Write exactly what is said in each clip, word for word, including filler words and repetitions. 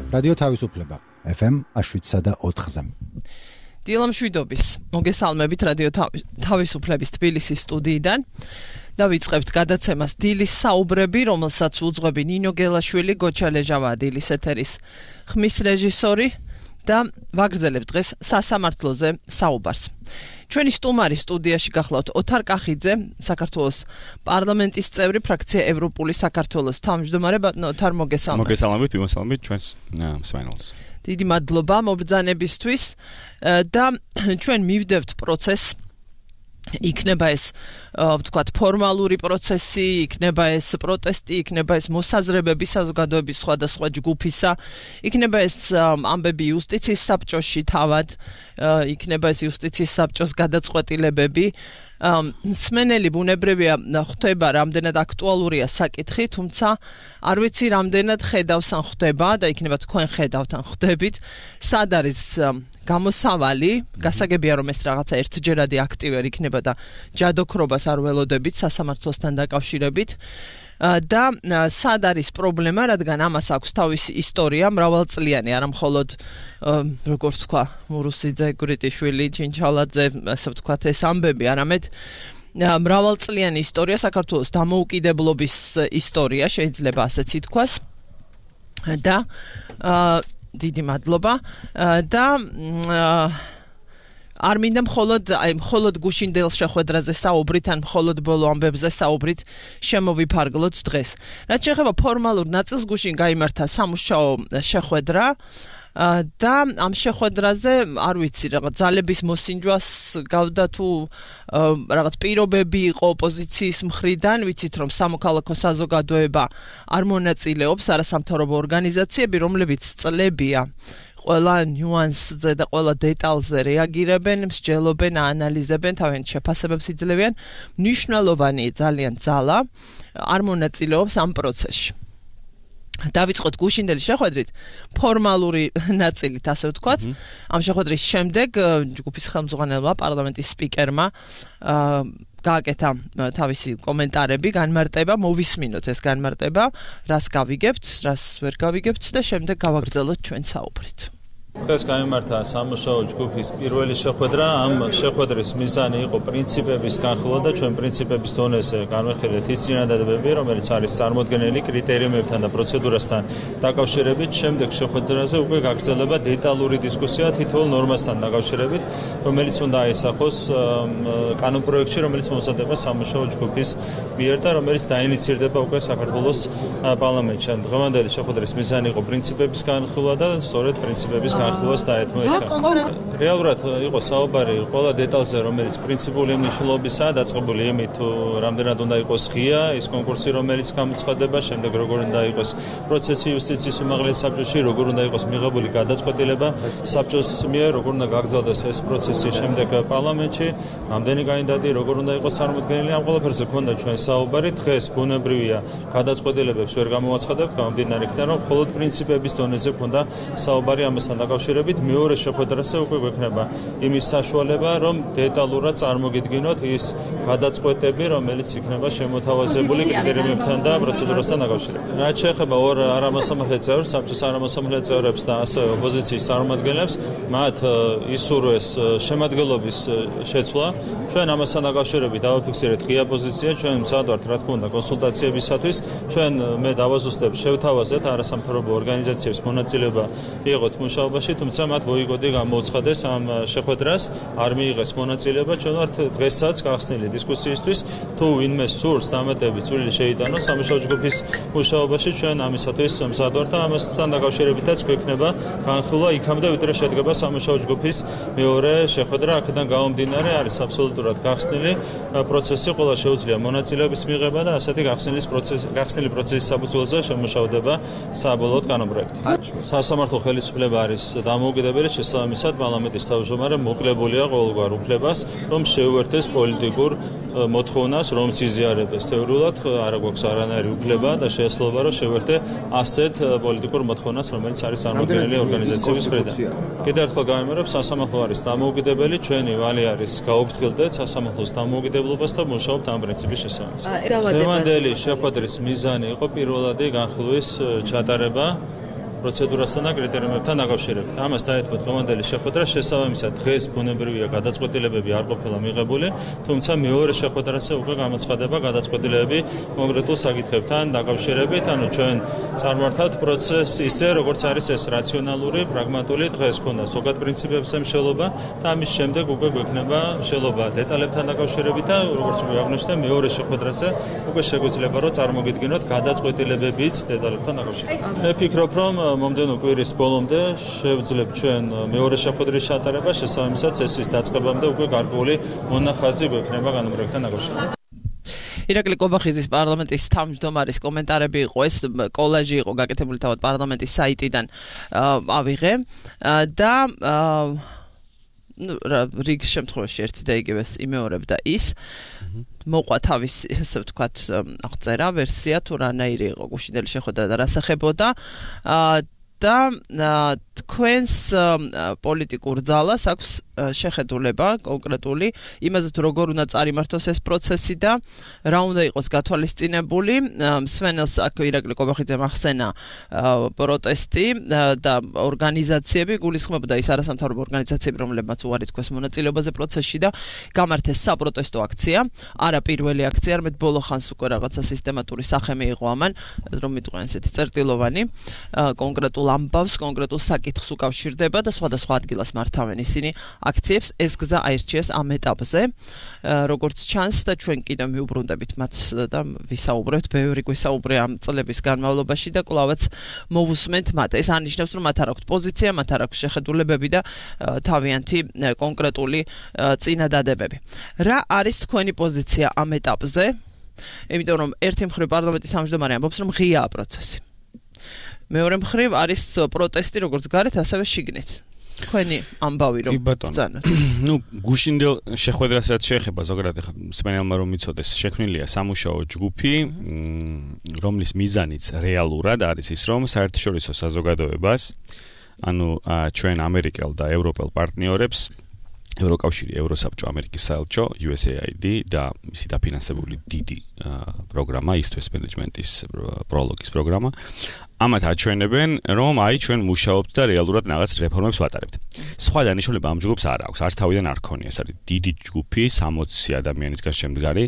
რადიო თავისუფლება ეფ ემ შვიდსა და ოთხზე. დილამშვიდობის მოგესალმებით რადიო თავისუფლების თბილისის სტუდიიდან. დავიწყებთ გადაცემას დილის საუბრები, რომელსაც უძღვები ნინო გელაშვილი, გოჩა ლეჟავა დილის ეთერის ხმის რეჟისორი და ვაგრძელებთ დღეს სასამართლოზე საუბარს. ჩვენი სტუმარი სტუდიაში გახლავთ ოთარ კახიძე, საქართველოს პარლამენტის წევრი, ფრაქცია ევროპული საქართველოს თავმჯდომარე. ოთარ, მოგესალმებით. მოგესალმებით, ვიმოსალმებით ჩვენს მსმენელს. დიდი მადლობა მობრძანებისთვის და ჩვენ მივდევთ პროცესს. იქნება ეს ვთქვათ ფორმალური პროცესი, იქნება ეს პროტესტი, იქნება ეს მოსაზრებები საზოგადოების სხვადასხვა ჯგუფისა, იქნება ეს ამბები იუსტიციის საბჭოში თავად, იქნება ეს იუსტიციის საბჭოს გადაწყვეტილებები. მსმენელი ბუნებრივია ხვდება რამდენად აქტუალურია საკითხი, თუმცა არ ვიცი რამდენად ხედავს ან ხვდება და იქნება თქვენ ხედავთ ან ხვდებით, სად არის გამოსავალი, გასაგებია რომ ეს რაღაცა ერთჯერადი აქტივერი იქნება და ჯადოქრობას არ ველოდებით სასამართლოსთან დაკავშირებით და სად არის პრობლემა, რადგან ამას აქვს თავისი ისტორია, მრავალწლიანი, არა მხოლოდ როგორც თქვა მურუსიძე, გვრიტიშვილი, ჩინჩალაძე, ასე ვთქვათ ეს ამბები, არამედ მრავალწლიანი ისტორია, საქართველოს დამოუკიდებლობის ისტორია, შეიძლება ასეც ითქვას და დიდი მადლობა და არ მინდა მხოლოდ აი მხოლოდ გუშინდელ შეხვედრაზე საუბრით ან მხოლოდ ბოლო ამბებზე საუბრით შემოვიფარგლოთ დღეს. რაც შეეხება ფორმალურ ნაწილს, გუშინ გაიმართა სამუშაო შეხვედრა და ამ შეხვედრაზე არ ვიცი რაღაც ძალების მოსინჯვას გავდა თუ რაღაც პირობები იყო ოპოზიციის მხრიდან, ვიცით რომ სამოქალაქო საზოგადოება არ მონაწილეობს, არასამთავრობო ორგანიზაციები, რომლებიც წლებია ყველა ნიუანსზე და ყველა დეტალზე რეაგირებენ, მსჯელობენ, აანალიზებენ, თავიანთ შეფასებებს იძლევიან. მნიშვნელოვანი ძალიან ძალა არ მონაწილეობს ამ პროცესში. დავიწყოთ გუშინდელი შეხვედრით, ფორმალური ნაწილით, ასე ვთქვათ. ამ შეხვედრის შემდეგ ჯგუფის ხელმძღვანელმა, პარლამენტის სპიკერმა გააკეთა თავისი კომენტარები, განმარტება, მოვისმინოთ ეს განმარტება, რას გავიგებთ, რას ვერ გავიგებთ და შემდეგ გავაგრძელოთ ჩვენ საუბრით. დღეს გამართა სამუშაო ჯგუფის პირველი შეხვედრა. ამ შეხვედრის მიზანი იყო პრინციპების განხილვა და ჩვენ პრინციპების დონეზე განვიხილეთ ის წინადადებები, რომელიც არის წარმოდგენილი კრიტერიუმებთან და პროცედურასთან დაკავშირებით. შემდეგ შეხვედრაზე უკვე გაგრძელება დეტალური დისკუსია თითოეულ ნორმასთან დაკავშირებით, რომელიც უნდა აისახოს კანონპროექტში, რომელიც მომზადება სამუშაო ჯგუფის მიერ და რომელიც დაინიცირდება უკვე საქართველოს პარლამენტში. დღევანდელი შეხვედრის მიზანი იყო პრინციპების განხილვა და სწორედ პრინციპების განხილვას დაეთმო ეს კანონი. რეალურად იყო საუბარი ყველა დეტალზე, რომელიც პრინციპული მნიშვნელობისაა, დაწყებული იმით, თუ რამდენად უნდა იყოს ღია ის კონკურსი, რომელიც გამოცხადება, შემდეგ როგორ უნდა იყოს პროცესი იუსტიციის უმაღლეს საბჭოში, როგორ უნდა იყოს მიღებული გადაწყვეტილება საბჭოს მიერ, როგორ უნდა გაგრძელდეს ეს პროცესი შემდეგ პარლამენტში, რამდენი კანდიდატი, როგორ უნდა იყოს წარმოდგენილი, ამ ყველაფერზე ქონდა ჩვენ საუბარი. დღეს ბუნებრივია გადაწყვეტილებებს ვერ გამოვაცხადებთ, გამომდინარე იქიდან, რომ მხოლოდ პრინციპების დონეზე ქონდა საუბარი ამასთან დაკავშირებით. მეორე შეხვედრაზე უკვე გვექნება იმის საშუალება, რომ დეტალურად წარმოგიდგინოთ ის გადაწყვეტები, რომელიც იქნება შემოთავაზებული კრიტერიუმებთან და პროცედურასთან დაკავშირებით. რაც შეეხება ორ არამასამართლე წევრს, საბჭოს არამასამართლე წევრებს და ასევე ოპოზიციის წარმომადგენლებს, მათ ისურვეს შემადგენლობის შეცვლა. ჩვენ ამასთან დაკავშირებით დავაფიქსირეთ ღია პოზიცია, ჩვენ მზად ვართ, რა თქმა უნდა, კონსულტაციებისათვის. ჩვენ მე დავაზუსტებ, შევთავაზეთ არასამთავრობო ორგანიზაციებს მონაწილეობა იყოთ მუშაობაში, თუმცა მათ ბოიკოტი გამოუცხადეს ამ შეხვედრას, არ მიიღეს მონაწილეობა. ჩვენ ვართ დღესაც გახსნილი დისკუსიისთვის, თუ ვინმე სურს დამატებით წვლილი შეიტანოს სამუშაო ჯგუფის მუშაობაში, ჩვენ ამისათვის მზად ვართ და ამასთან დაკავშირებითაც გვექნება განხილვა იქამდე, ვიდრე შედგება სამუშაო ჯგუფის მეორე შეხვედრა. აქედან გამომდინარე არის აბსოლუტურად გახსნილი პროცესი, ყველა შეუძლია მონაწილეობის მიღება და ასეთი გახსნილი პროცესი, გახსნილი პროცესის საფუძველზე შემუშავდება საბოლოოდ კანონპროექტი. სასამართლო ხელისუფლება არის დამოუკიდებელი, შესაბამისად პარლამენტის თავმჯდომარე მოკლებულია ყოველგვარ უფლებას, რომ შეუერთდეს პოლიტიკურ მოთხოვნას, რომ იზიარებდეს. თეორიულად არ გვაქვს არანაირი უფლება და შეეძლება, რომ შევერთე ასეთ პოლიტიკურ მოთხოვნას, რომელიც არის წარმოდგენილი ორგანიზაციების მხრიდან. კიდევ ერთხელ გავიმეორებ, სასამართლო არის დამოუკიდებელი, ჩვენი ვალი არის გაუფრთხილდეთ სასამართლოს დამოუკიდებლობას და მუშაობთ ამ პრინციპის შესაბამისად. დღევანდელი შეხვედრის მიზანი იყო პირველადი განხილვის ჩატარება პროცედურასთან და კრიტერიუმებთან დაკავშირებით. ამას დაეთქვათ დღევანდელი შეხვედრა, შესაბამისად დღეს ბუნებრივია გადაწყვეტილებები არ ყოფილა მიღებული, თუმცა მეორე შეხვედრაზე უკვე გამოცხადება გადაწყვეტილებები კონკრეტულ საკითხებთან დაკავშირებით, ანუ ჩვენ წარმართავთ პროცესს ისე, როგორც არის ეს რაციონალური, პრაგმატული, დღეს ქონდა ზოგად პრინციპებზე მშელობა და ამის შემდეგ უკვე გვექნება მშელობა დეტალებთან დაკავშირებით და როგორც უკვე აღნიშნე, მეორე შეხვედრაზე უკვე შეგვიძლია რომ წარმოგიდგინოთ გადაწყვეტილებებიც დეტალებთან დაკავშირებით. მე ფიქრობ, რომ მომდევნო კვირის ბოლომდე შევძლებთ ჩვენ მეორე შეხვედრის ჩატარება, შესაბამისად წესის დაწყებამდე უკვე გარკვეული მონახაზი გვექნება განმრევებთან დაკავშირებით. ირაკლი კობახიძის პარლამენტის თავმჯდომარის კომენტარები იყო, ეს კოლაჟი იყო გაკეთებული თავად პარლამენტის საიტიდან ავიღე და რიგ შემთხვევაში ერთი და იგივეს იმეორებდა ის მოყვა თავის ესე ვთქვათ აღწერა ვერსია თუ რანაირი იყო გუშინდელი შეხვედრა და რასახებოდა და თქვენს პოლიტიკურ ძალას აქვს შეხედულება კონკრეტული იმაზე თუ როგორ უნდა წარიმართოს ეს პროცესი და რა უნდა იყოს გათვალისწინებული. სვენელს აქ ირაკლი კობახიძემ ახსენა პროტესტი და ორგანიზაციები, გულისხმობდა ის არასამთავრობო ორგანიზაციები, რომლებმაც უარი თქვეს მონაწილეობაზე პროცესში და გამართეს საპროტესტო აქცია, არა პირველი აქცია, არამედ ბოლო ხანს უკვე რაღაცა სისტემატური სახე მიიღო ამან, რომ მიტყვენ ესეთი წერტილოვანი კონკრეტულ ამბავს, კონკრეტულ საკითხს უკავშირდება და სხვადასხვა ადგილას მართავენ ისინი აქციებს. ეს გზა აირჩიეს ამ ეტაპზე, როგორც ჩანს და ჩვენ კიდევ მიუბრუნდებით მათ და ვისაუბრებთ, ბევრი გვისაუბრე ამ წლების განმავლობაში და კვლავაც მოვუსმენთ მათ. ეს არნიშნავს, რომ მათ არ აქვთ პოზიცია, მათ არ აქვთ შეხედულებები და თავიანთი კონკრეტული წინადადებები. რა არის თქვენი პოზიცია ამ ეტაპზე? იმიტომ რომ ერთი მხრივ პარლამენტის თავმჯდომარე ამბობს, რომ ღიაა პროცესი. მეორე მხრივ არის პროტესტი როგორც გარეთ, ასევე შიგნით. თქვენი ამბავი რომ ბრძანოთ. ნუ გუშინდელ შეხვედრასაც შეეხება ზოგადად ახლა სპენელმა რომ მიცოდეს, შექმნილია სამუშაო ჯგუფი, რომლის მიზანიც რეალურად არის ის, რომ საერთაშორისო საზოგადოებას, ანუ ჩვენ ამერიკელ და ევროპელ პარტნიორებს ევროკავშირი, ევროსაბჭო, ამერიკის საელჩო, იუ ეს ეი აი დი და მისი დაფინანსებული დიდი პროგრამა, East West Management-ის პროლოგის პროგრამა, ამათ აჩვენებენ, რომ აი ჩვენ მუშაობთ და რეალურად რაღაც რეფორმებს ვატარებთ. სხვა დანიშნულება ამ ჯგუფს არ აქვს, არც თავიდან არ ქონია, ეს არის დიდი ჯგუფი, სამოცი ადამიანისგან შემდგარი.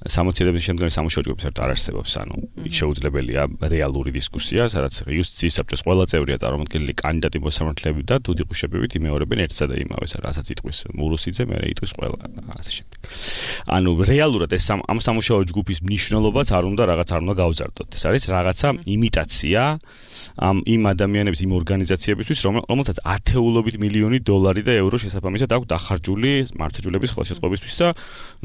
სამოცი ადამიანის შემდგარი სამუშაო ჯგუფი საერთოდ არ არსებობს, ანუ იქ შეუძლებელია რეალური დისკუსია, სადაც იუსტიციის საბჭოს ყველა წევრია წარმომადგენელი კანდიდატი მოსამართლეები და თუდიყუშებებით იმეორებენ ერთსა და იმავეს, რასაც იტყვის მურუსიძე, მერე იტყვის ყველა ასე შემდეგ. ანუ რეალურად ეს ამ სამუშაო ჯგუფის მნიშვნელობაც არ უნდა რაღაც არ უნდა გავზარდოთ. ეს არის რაღაცა იმიტაცია ამ იმ ადამიანების, იმ ორგანიზაციებისთვის, რომელთაც ათეულობით მილიონი დოლარი და ევრო შესაბამისად აქვს დახარჯული მართლმსაჯულების ხელშეწყობისთვის და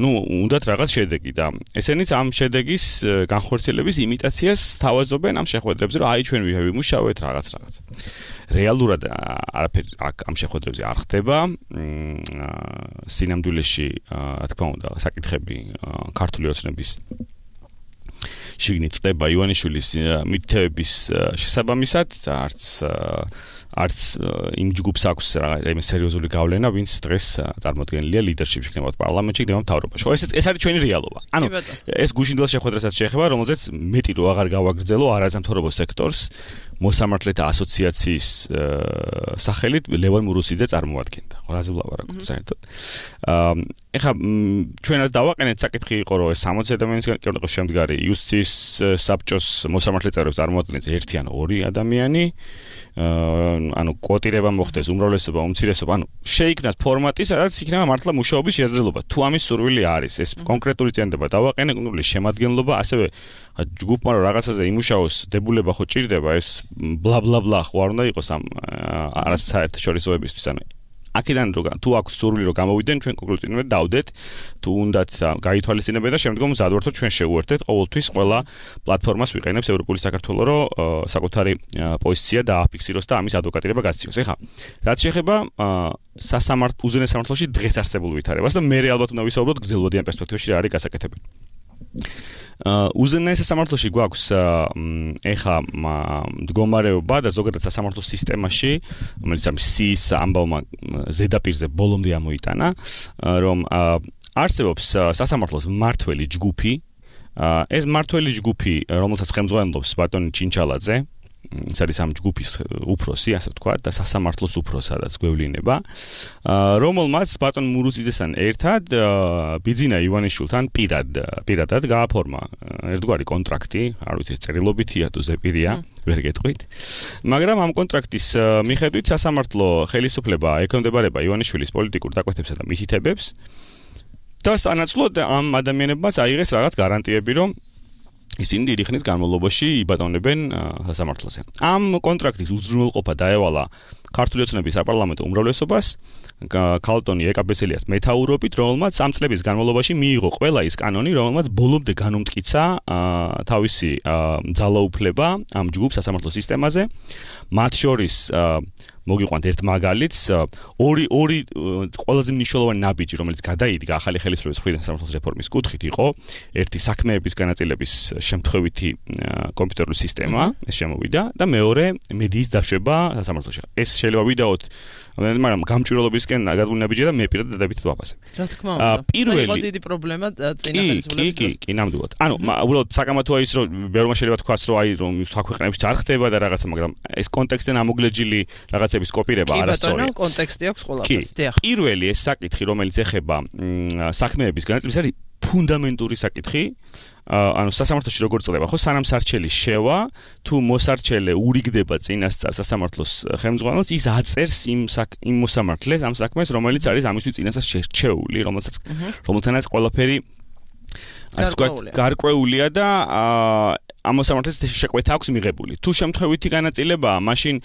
ნუ უნდათ რაღაც შედეგი და ესენიც ამ შედეგის განხორციელების იმიტაციას თავაზობენ ამ შეხვედრებზე, რომ აი ჩვენ ვიმუშავეთ რაღაც რაღაც. რეალურად არაფერი ამ შეხვედრებზე არ ხდება. სინამდვილეში, რა თქმა უნდა, საკითხები ქართული ოცნების შიგნით წდება ივანიშვილის მითითებების შესაბამისად, არც არც იმ ჯგუფს აქვს რაიმე სერიოზული გავლენა, ვინც დღეს წარმოადგენელია ლიდერშიპში იქნება პარლამენტში, იქნება მთავრობაში. ხო, ეს ეს არის ჩვენი რეალობა. ანუ ეს გუშინდელ შეხვედრასაც შეეხება, რომელზეც მეტი რო აღარ გავაგრძელო არასამთავრობო სექტორს მოსამართლეთა ასოციაციის სახელით ლევან მურუსიძე წარმოადგენდა. რაზე ვლაპარაკობ საერთოდ. ეხლა ჩვენაც დავაყენეთ საკითხი იყო, რომ ეს სამოცი ადამიანისგან იყო შემდგარი იუსტიციის საბჭოს მოსამართლე წევრებს წარმოადგენს ერთი ან ორი ადამიანი. ანუ კვოტირება მოხდეს, უმრავლესობა, უმცირესობა, ანუ შეიქმნას ფორმატი, სადაც იქნება მართლა მუშაობის შესაძლებლობა. თუ ამის სურვილი არის, ეს კონკრეტული წინადადება დავაყენე, კონკრეტული შემადგენლობა, ასევე ჯგუფმა რომ რაღაცაზე იმუშაოს, დებულება ხო ჭირდება, ეს ბლა ბლა ბლა ხო არ უნდა იყოს ამ არასაერთაშორისოებისთვის, ანუ აქედან რო თუ აქვს სურვილი რომ გამოვიდნენ, ჩვენ კონკრეტულად დავდეთ, თუ უნდათ გაითვალისწინებენ და შემდგომ მზადვართოთ ჩვენ შევუერთდეთ, ყოველთვის ყველა პლატფორმას ვიყენებს ევროპული საქართველო, რომ საკუთარი პოზიცია დააფიქსიროს და ამის ადვოკატირება გასციოს. ეხლა რაც შეეხება სასამართლო უზენაეს სამართლოში დღეს არსებულ ვითარებას და მე ალბათ უნდა ვისაუბროთ გრძელვადიან პერსპექტივაში რა არის გასაკეთებელი. უზენაეს სამართლოში გვაქვს ეხა მდგომარეობა და ზოგადად სასამართლო სისტემაში, რომელიც ამ სის ამბავმა ზედაპირზე ბოლომდე ამოიტანა, რომ არსებობს სასამართლოს მმართველი ჯგუფი, ეს მმართველი ჯგუფი, რომელსაც ხელმძღვანელობს ბატონი ჩინჩალაძე, ეს არის ამ ჯგუფის უფროსი, ასე ვთქვათ, და სასამართლოს უფროსადაც გვევლინება, რომელმაც ბატონ მურუციძესთან ერთად ბიძინა ივანიშვილთან პირად პირადად გააფორმა ერთგვარი კონტრაქტი, არ ვიცი, წერილობითია თუ ზეპირია, ვერ გეტყვით. მაგრამ ამ კონტრაქტის მიხედვით სასამართლო ხელისუფლება ექვემდებარება ივანიშვილის პოლიტიკურ დაკვეთებსა და მითითებებს და სანაცვლოდ ამ ადამიანებმაც აიღეს რაღაც გარანტიები, რომ ისინი დიდი ხნის განმავლობაში იბატონებენ სასამართლოზე. ამ კონტრაქტის უზრუნველყოფა დაევალა ქართული ოცნების საპარლამენტო უმრავლესობას, ქალტონი ეკაბესელიას მეთაურობით, რომელმაც სამ წლების განმავლობაში მიიღო ყველა ის კანონი, რომელმაც ბოლომდე განუმტკიცა თავისი ძალაუფლება ამ ჯგუფ სასამართლო სისტემაზე, მათ შორის მოგიყვანთ ერთ მაგალითს, ორი ორი ყველაზე მნიშვნელოვანი ნაბიჯი, რომელიც გადაიდგა ახალი ხელისუფლების მხრიდან სასამართლოს რეფორმის კუთხით, იყო ერთი საქმეების განაწილების შემთხვევითი კომპიუტერული სისტემა, ეს შემოვიდა და მეორე მედიის დაშვება სასამართლოში. ეს შეიძლება ვიდაოთ, მაგრამ გამჭვირვალობისკენ გადაგული ნაბიჯია და მე პირადად დადებითად ვაფასებ. რა თქმა უნდა. პირველი იყო დიდი პრობლემა წინა ხელისუფლების. კი, კი, კი, ნამდვილად. ანუ უბრალოდ საკამათოა ის, რომ ბევრმა შეიძლება თქვას, რომ აი რომ საქვეყნებში არ ხდება და რაღაცა, მაგრამ ეს კონტექსტიდან ამოგლეჯილი რაღაცების კოპირება არასწორია. კი, ბატონო, კონტექსტი აქვს ყველაფერს. დიახ. პირველი ეს საკითხი, რომელიც ეხება საქმეების განაწილებას, არის ფუნდამენტური საკითხი. ანუ სასამართლოში როგორ წდება, ხო, სანამ სარჩელი შევა, თუ მოსარჩელე ურიგდება წინასწარ სასამართლოს ხელმძღვანელს, ის აწერს იმ იმ მოსამართლეს, ამ საქმეს, რომელიც არის ამისთვის წინასწარ შერჩეული, რომელსაც რომელთანაც ყველაფერი ასე ვთქვათ, გარკვეულია და ამ მოსამართლეს შეკვეთა აქვს მიღებული. თუ შემთხვევითი განაწილებაა, მაშინ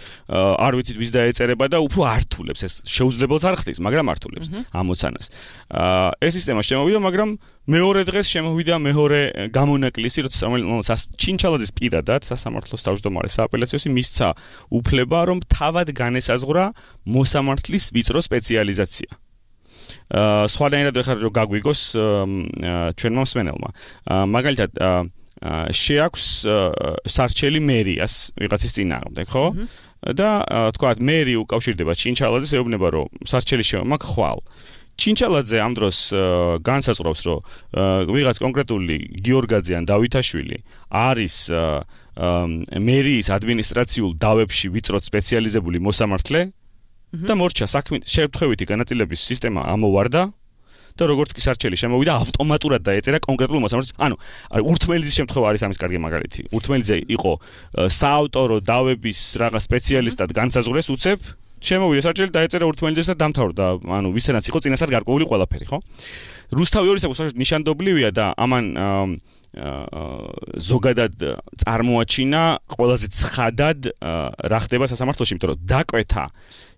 არ ვიცით ვის დაეწერება და უფრო ართულებს, ეს შეუძლებელს არ ხდის, მაგრამ ართულებს ამოცანას. ეს სისტემა შემოვიდა, მაგრამ მეორე დღეს შემოვიდა მეორე გამონაკლისი, როცა ჩინჩალაძის პირადად სასამართლოს თავმჯდომარე სააპელაციოსი მისცა უფლება, რომ თავად განესაზღვრა მოსამართლის ვიწრო სპეციალიზაცია. სხვადასხვა ხარ რო გაგვიგოს ჩვენმა მსმენელმა. მაგალითად შეაქვს სარჩელი მერიას ვიღაცის წინააღმდეგ, ხო? და თქვათ მერი უკავშირდება ჩინჩალაძეს, ეუბნება რომ სარჩელი შემოაქვს ხვალ. ჩინჩალაძე ამ დროს განსაზღვრავს, რომ ვიღაც კონკრეტული გიორგაძე ან დავითაშვილი არის მერიის ადმინისტრაციულ დავებში ვიწროდ სპეციალიზებული მოსამართლე და მორჩა საქმის შეერთებითი განაწილების სისტემა ამოვარდა და როგორც კი სარჩელი შემოვიდა, ავტომატურად დაეწერა კონკრეტულ მოსამართლეს. ანუ ურთმელიძის შემთხვევა არის ამის კარგი მაგალითი. ურთმელიძე იყო საავტორო დავების რაღაც სპეციალისტად განსაზღვრეს უცებ, შემოვიდა სარჩელი, დაეწერა ურთმელიძეს და დამთავრდა. ანუ ვისთანაც იყო წინასწარ გარკვეული ყველაფერი, ხო? რუსთავი ორი საკუთარ ნიშანდობლივია და ამან ზოგადად წარმოაჩინა ყველაზე ცხადად რა ხდება სასამართლოში, იმიტომ რომ დაკვეთა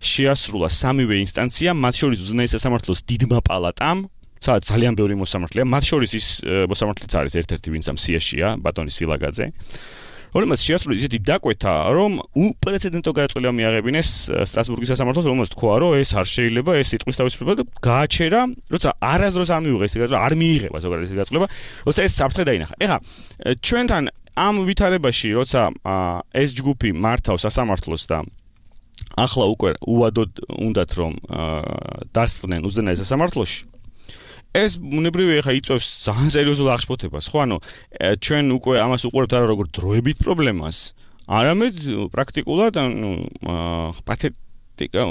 შეასრულა სამივე ინსტანცია, მათ შორის უზენაეს სასამართლოს დიდმა პალატამ, სადაც ძალიან ბევრი მოსამართლეა, მათ შორის ის მოსამართლეც არის ერთ-ერთი, ვინც ამ სიაშია, ბატონი სილაგაძე, რომელმაც შეასრულა ისეთი დაკვეთა, რომ უპრეცედენტო გადაწყვეტილება მიაღებინეს სტრასბურგის სასამართლოს, რომელმაც თქვა, რომ ეს არ შეიძლება, ეს სიტყვის თავისუფლება და გააჩერა, როცა არასდროს არ მიიღეს ეს გადაწყვეტილება, არ მიიღება ზოგადად ეს გადაწყვეტილება, როცა ეს საფრთხე დაინახა. ეხლა ჩვენთან ამ ვითარებაში, როცა ეს ჯგუფი მართავს სასამართლოს და ახლა უკვე უადოდ უნდათ რომ დასწრნენ უზენაეს სასამართლოში, ეს ბუნებრივია ხა იწვევს ძალიან სერიოზულ აღშფოთებას, ხო? ანუ ჩვენ უკვე ამას უყურებთ არა როგორც დროებით პრობლემას, არამედ პრაქტიკულად, ანუ პათეტიკა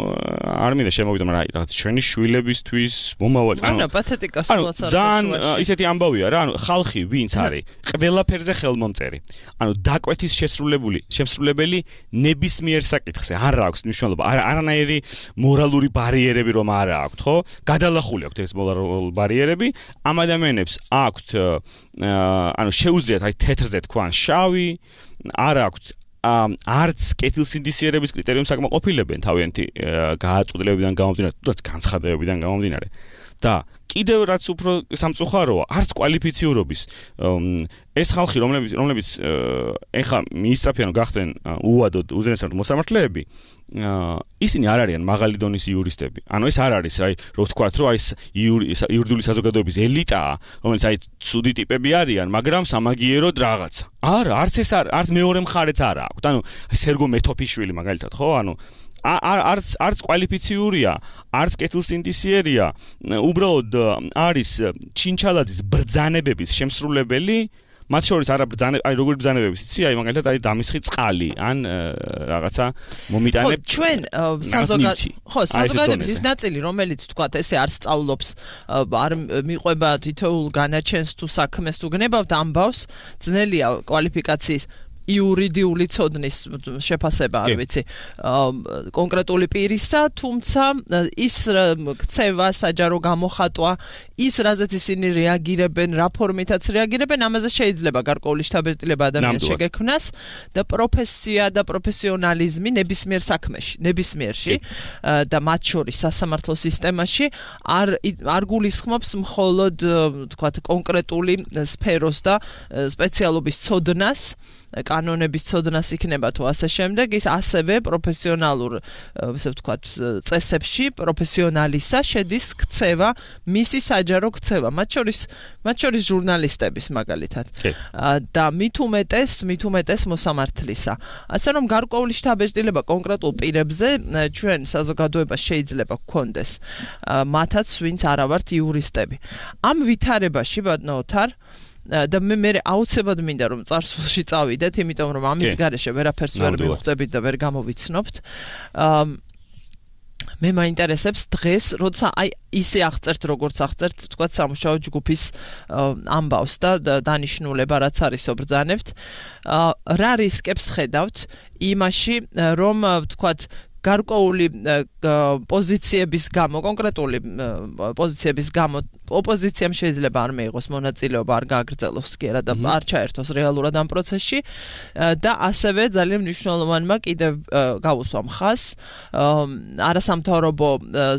არ მინდა შემოვიდო, მაგრამ რაღაც ჩვენი შვილებისთვის მომავალი, ანუ პათეტიკა სულაც არ ძალიან ისეთი ამბავია რა, ანუ ხალხი ვინც არის, ყველაფერზე ხელმომწერი. ანუ დაკვეთის შესრულებული, შემსრულებელი ნებისმიერ საკითხზე არ აქვს მნიშვნელობა, არანაირი მორალური ბარიერები რომ არ აქვს, ხო? გადალახული აქვს ეს მორალური ბარიერები, ამ ადამიანებს აქვთ ანუ შეუძლიათ აი თეთრზე თქვან შავი, არ აქვთ არც კეთილსინდისიერების კრიტერიუმს აკმაყოფილებენ თავიანთი გააწყვეტილებიდან გამომდინარე, თუნდაც განცხადებებიდან გამომდინარე. და კიდევ რაც უფრო სამწუხაროა, არც კვალიფიციურობის ეს ხალხი, რომლებიც რომლებიც ეხა მიისწრაფიან გახდნენ უადოდ უზენაეს მოსამართლეები, ისინი არ არიან მაღალი დონის იურისტები. ანუ ეს არ არის, აი, რო ვთქვათ, რომ აი იურიდიული საზოგადოების ელიტაა, რომელიც აი ცუდი ტიპები არიან, მაგრამ სამაგიეროდ რაღაცა. არა, არც ეს არც მეორე მხარეც არ აქვს. ანუ სერგო მეთოფიშვილი მაგალითად, ხო? ანუ არც არც კვალიფიციურია, არც კეთილსინდისიერია, უბრალოდ არის ჩინჩალაძის ბრძანებების შემსრულებელი, მათ შორის არა ბრძანე, აი როგორი ბრძანებები იცი, აი მაგალითად აი დამისხი წყალი, ან რაღაცა მომიტანებ. ხო, ჩვენ საზოგადოების ხო, საზოგადოების ის ნაწილი, რომელიც თქვა ესე არ სწავლობს, არ მიყვება თითოეულ განაჩენს თუ საქმეს თუ გნებავთ ამბავს, ძნელია კვალიფიკაციის იურიდიული ცოდნის შეფასება, არ ვიცი, კონკრეტული პირისა, თუმცა ის ქცევა, საჯარო გამოხატვა, ის რაზეც ისინი რეაგირებენ, რა ფორმითაც რეაგირებენ, ამაზე შეიძლება გარკვეული შთაბეჭდილება ადამიანს შეგექმნას და პროფესია და პროფესიონალიზმი ნებისმიერ საქმეში, ნებისმიერში და მათ შორის სასამართლო სისტემაში არ არ გულისხმობს მხოლოდ, თქვათ, კონკრეტული სფეროს და სპეციალობის ცოდნას, კანონების ცოდნას იქნება თუ ასე შემდეგ, ის ასევე პროფესიონალურ, ესე ვთქვათ, წესებში პროფესიონალისა შედის ქცევა, მისი საჯარო ქცევა, მათ შორის მათ შორის ჟურნალისტების მაგალითად. და მით უმეტეს, მით უმეტეს მოსამართლისა. ასე რომ გარკვეული შთაბეჭდილება კონკრეტულ პირებზე ჩვენ საზოგადოებას შეიძლება გქონდეს, მათაც ვინც არა ვართ იურისტები. ამ ვითარებაში, ბატონო ოთარ, და მე მე აუცილებლად მინდა რომ წარსულში წავიდეთ, იმიტომ რომ ამის გარეშე ვერაფერს ვერ მივხვდებით და ვერ გამოვიცნობთ. მე მაინტერესებს დღეს, როცა აი ისე აღწერთ, როგორც აღწერთ, თქვა სამუშაო ჯგუფის ამბავს და დანიშნულება რაც არის ობრძანებთ, რა რისკებს ხედავთ იმაში, რომ თქვა გარკვეული პოზიციების გამო, კონკრეტული პოზიციების გამო ოპოზიციამ შეიძლება არ მეიღოს მონაწილეობა, არ გააგრძელოს კი და არ ჩაერთოს რეალურად ამ პროცესში და ასევე ძალიან მნიშვნელოვანმა კიდევ გავუსვა მხას არასამთავრობო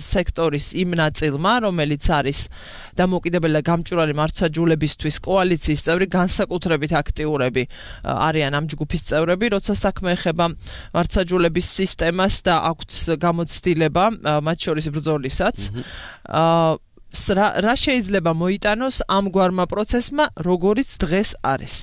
სექტორის იმ ნაწილმა, რომელიც არის დამოუკიდებელი და გამჭვირვალე მართლმსაჯულებისთვის კოალიციის წევრი, განსაკუთრებით აქტიურები არიან ამ ჯგუფის წევრები, როცა საქმე ეხება მართლმსაჯულების სისტემას და აქვთ გამოცდილება მათ შორის ბრძოლისაც. რა შეიძლება მოიტანოს ამგვარმა პროცესმა, როგორიც დღეს არის.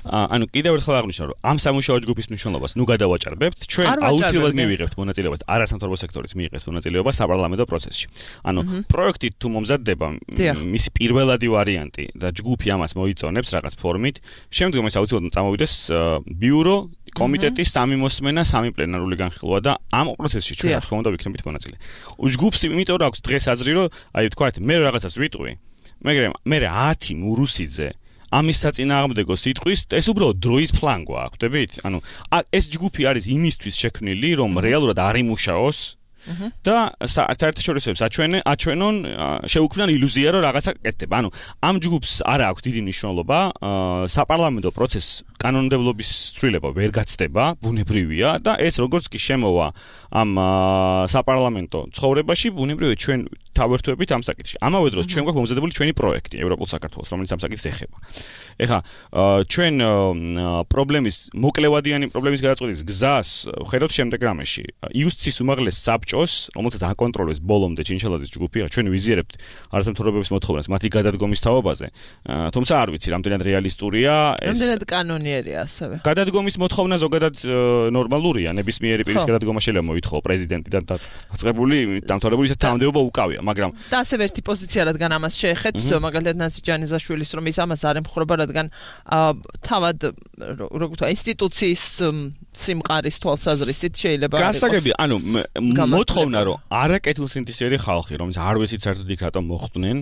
ანუ კიდევ ერთხელ აღნიშნავ, რომ ამ სამუშაო ჯგუფის მნიშვნელობას ნუ გადავაჭარბებთ, ჩვენ აუცილებლად მივიღებთ მონაწილეობას, არასამთავრობო სექტორის მიიღებს მონაწილეობა საპარლამენტო პროცესში. ანუ პროექტი თუ მომზადდება, მისი პირველადი ვარიანტი და ჯგუფი ამას მოიწონებს რაღაც ფორმით, შემდგომ ეს აუცილებლად წამოვიდეს ბიურო, კომიტეტი, სამი მოსმენა, სამი პლენარული განხილვა და ამ პროცესში ჩვენ რა თქმა უნდა ვიქნებით მონაწილე. ჯგუფს იმიტომ რომ აქვს დღეს აზრი, რომ აი ვთქვათ, მე რაღაცას ვიტყვი, მაგრამ მე ათი მურუსიძე ამის საწინააღმდეგო სიტყვის, ეს უბრალოდ დროის ფლანგვა, ხვდებით? ანუ ეს ჯგუფი არის იმისთვის შექმნილი, რომ რეალურად არ იმუშაოს და საერთაშორისოებს აჩვენე, აჩვენონ, შეუქმნან ილუზია, რომ რაღაცა კეთდება. ანუ ამ ჯგუფს არ აქვს დიდი მნიშვნელობა, საპარლამენტო პროცესს კანონმდებლობის ცვლილება ვერ გაცდება, ბუნებრივია და ეს როგორც კი შემოვა ამ საპარლამენტო ცხოვრებაში, ბუნებრივია ჩვენ თავერთვებით ამ საკითხში. ამავე დროს ჩვენ გვაქვს მომზადებული ჩვენი პროექტი ევროპულ საქართველოს, რომელიც ამ საკითხს ეხება. ეხლა ჩვენ პრობლემის მოკლევადიანი პრობლემის გადაწყვეტის გზას ვხედავთ შემდეგ რამეში. იუსტის უმაღლეს საბჭოს, რომელსაც აკონტროლებს ბოლომდე ჩინჩელაძის ჯგუფი, ჩვენ ვიზიარებთ არასამთავრობოების მოთხოვნას მათი გადადგომის თაობაზე. თუმცა არ ვიცი, რამდენად რეალისტურია ეს. რამდენად კანონიერია ასევე. გადადგომის მოთხოვნა ზოგადად ნორმალურია, ნებისმიერი პირის გადადგომა შეიძლება მოითხოვო პრეზიდენტიდან დაწყებული, დამთავრებული ისე თანამდებობა უკავია, მაგრამ და ასევე ერთი პოზიცია, რადგან ამას შეეხეთ, მაგალითად ნანსი ჯანიზაშვილის, რომ ის ამას არ ემხრობა, რადგან თავად როგორ ვთქვა, ინსტიტუციის სიმყარის თვალსაზრისით შეიძლება არ იყოს. გასაგები, ანუ მოთხოვნა, რომ არაკეთილსინთეზური ხალხი, რომელიც არ ვიცით საერთოდ იქ რატომ მოხვდნენ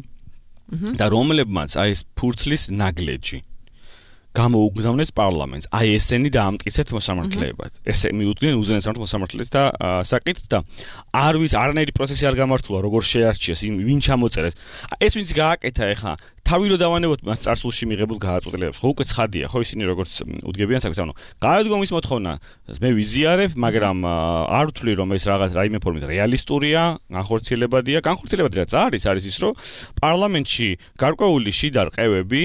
და რომლებმაც აი ეს ფურცლის ნაგლეჯი გამოუგზავნეს პარლამენტს. აი ესენი დაამტკიცეთ მოსამართლეებად. ესე მიუდგნენ უზენაეს მოსამართლეს და საკითხს და არ ვის არანაირი პროცესი არ გამართულა, როგორ შეარჩიეს, ვინ ჩამოწერეს. ეს ვინც გააკეთა ეხა თავი რო დავანებოთ მას წარსულში მიღებულ გადაწყვეტილებებს. ხო უკვე ცხადია, ხო ისინი როგორც უდგებიან საქმეს, ანუ გადადგომის მოთხოვნა მე ვიზიარებ, მაგრამ არ ვთვლი რომ ეს რაღაც რაიმე ფორმით რეალისტურია, განხორციელებადია. განხორციელებადი რაც არის, არის ის, რომ პარლამენტში გარკვეული შიდა რყევები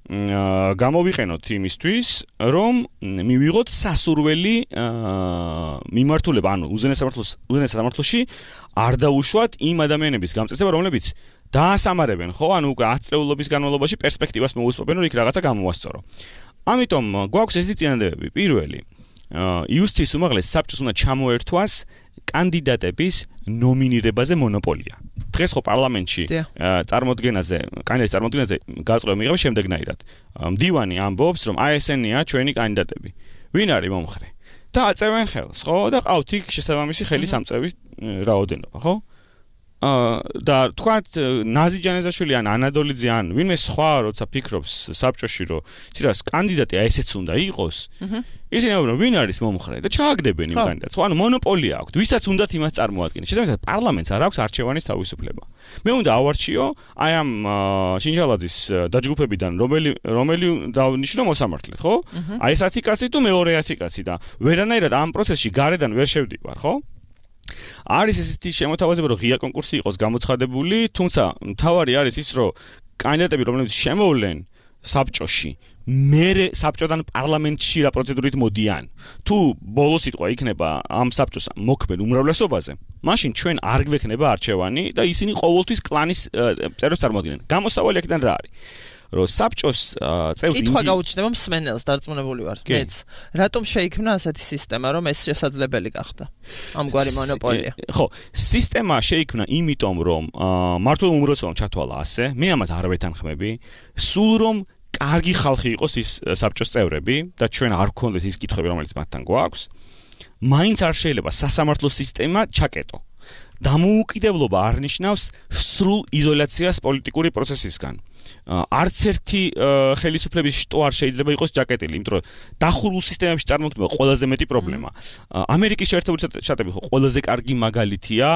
გამოვიყენოთ იმისთვის, რომ მივიღოთ სასურველი მიმართულება, ანუ უზენაეს სამართლოში არ დაუშვათ იმ ადამიანების გამწესება, რომლებიც დაასამარებენ, ხო, ანუ უკვე ათი წლეულობის განმავლობაში პერსპექტივას მოусპობენ, რომ იქ რაღაცა გამოასწორო. ამიტომ გვაქვს ესეთი წინადადებები. პირველი, იუსტის უმაღლეს საბჭოს უნდა ჩამოერთვას კანდიდატების ნომინირებაზე მონოპოლია. დღეს ხო პარლამენტში წარმოდგენაზე, კანდიდატის წარმოდგენაზე გაწყვეტილება მიიღება შემდეგნაირად. მდივანი ამბობს, რომ აი ესენია ჩვენი კანდიდატები. ვინ არის მომხრე? და აწევენ ხელს, ხო? და ყავთ იქ შესაბამისი ხელის ამწევის რაოდენობა, ხო? და თქვათ ნაზი ჯანეზაშვილი ან ანადოლიძე ან ვინმე სხვა როცა ფიქრობს საბჭოში რომ ცირას კანდიდატი აი ესეც უნდა იყოს ისინი ამბობენ ვინ არის მომხრე და ჩააგდებენ იმ კანდიდატს ხო ანუ მონოპოლია აქვს ვისაც უნდათ იმას წარმოადგენს შესაბამისად პარლამენტს არ აქვს არჩევანის თავისუფლება მე უნდა ავარჩიო აი ამ შინჯალაძის დაჯგუფებიდან რომელი რომელი დავნიშნო მოსამართლედ ხო აი ეს ათი კაცი თუ მეორე ათი კაცი და ვერანაირად ამ პროცესში გარედან ვერ შევდივარ ხო არის ესეთი შემოთავაზება რომ ღია კონკურსი იყოს გამოცხადებული, თუმცა მთავარი არის ის რომ კანდიდატები რომლებიც შემოვლენ საბჭოში, მერე საბჭოდან პარლამენტში რა პროცედურით მოდიან. თუ ბოლო სიტყვა იქნება ამ საბჭოს მოქმედ უმრავლესობაზე, მაშინ ჩვენ არ გვექნება არჩევანი და ისინი ყოველთვის კლანის წევრებს წარმოადგენენ. გამოსავალი აქედან რა არის? რომ საბჭოს წევრი კითხვა გაუჩნდება მსმენელს დარწმუნებული ვარ მეც რატომ შეიქმნა ასეთი სისტემა რომ ეს შესაძლებელი გახდა ამგვარი მონოპოლია ხო სისტემა შეიქმნა იმიტომ რომ მართლა უმრავლესობამ ჩათვალა ასე მე ამას არ ვეთანხმები სულ რომ კარგი ხალხი იყოს ის საბჭოს წევრები და ჩვენ არ გქონდეს ის კითხვები რომელიც მათთან გვაქვს მაინც არ შეიძლება სასამართლო სისტემა ჩაკეტო დამოუკიდებლობა არ ნიშნავს სრულ იზოლაციას პოლიტიკური პროცესისგან არც ერთი ხელისუფლების შტო არ შეიძლება იყოს ჯაკეტილი, იმიტომ რომ დახურულ სისტემებში წარმოქმნება ყველაზე მეტი პრობლემა. ამერიკის შეერთებული შტატები ხო ყველაზე კარგი მაგალითია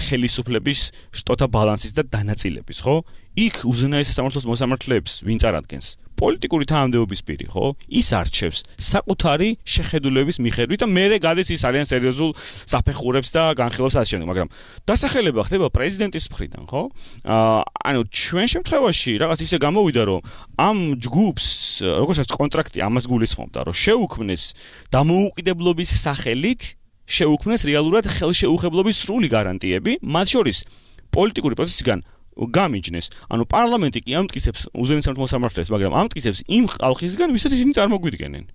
ხელისუფლების შტოთა ბალანსის და დანაწილების, ხო? იქ უზენაეს სასამართლოს მოსამართლეებს ვინ წარადგენს? პოლიტიკური თანამდებობის პირი, ხო? ის არჩევს საკუთარი შეხედულების მიხედვით და მერე გადის ის ძალიან სერიოზულ საფეხურებს და განხილვებს ასე შემდეგ, მაგრამ დასახელება ხდება პრეზიდენტის მხრიდან, ხო? ანუ ჩვენ შემთხვევაში რაღაც ისე გამოვიდა, რომ ამ ჯგუფს, როგორც კონტრაქტი ამას გულისხმობდა, რომ შეუქმნეს დამოუკიდებლობის სახელით, შეუქმნეს რეალურად ხელშეუხებლობის სრული გარანტიები, მათ შორის პოლიტიკური პროცესიდან გამიჯნეს. ანუ პარლამენტი კი ამტკიცებს უზენაეს სამართლის მოსამართლეს, მაგრამ ამტკიცებს იმ ხალხისგან, ვისაც ისინი წარმოგვიდგენენ.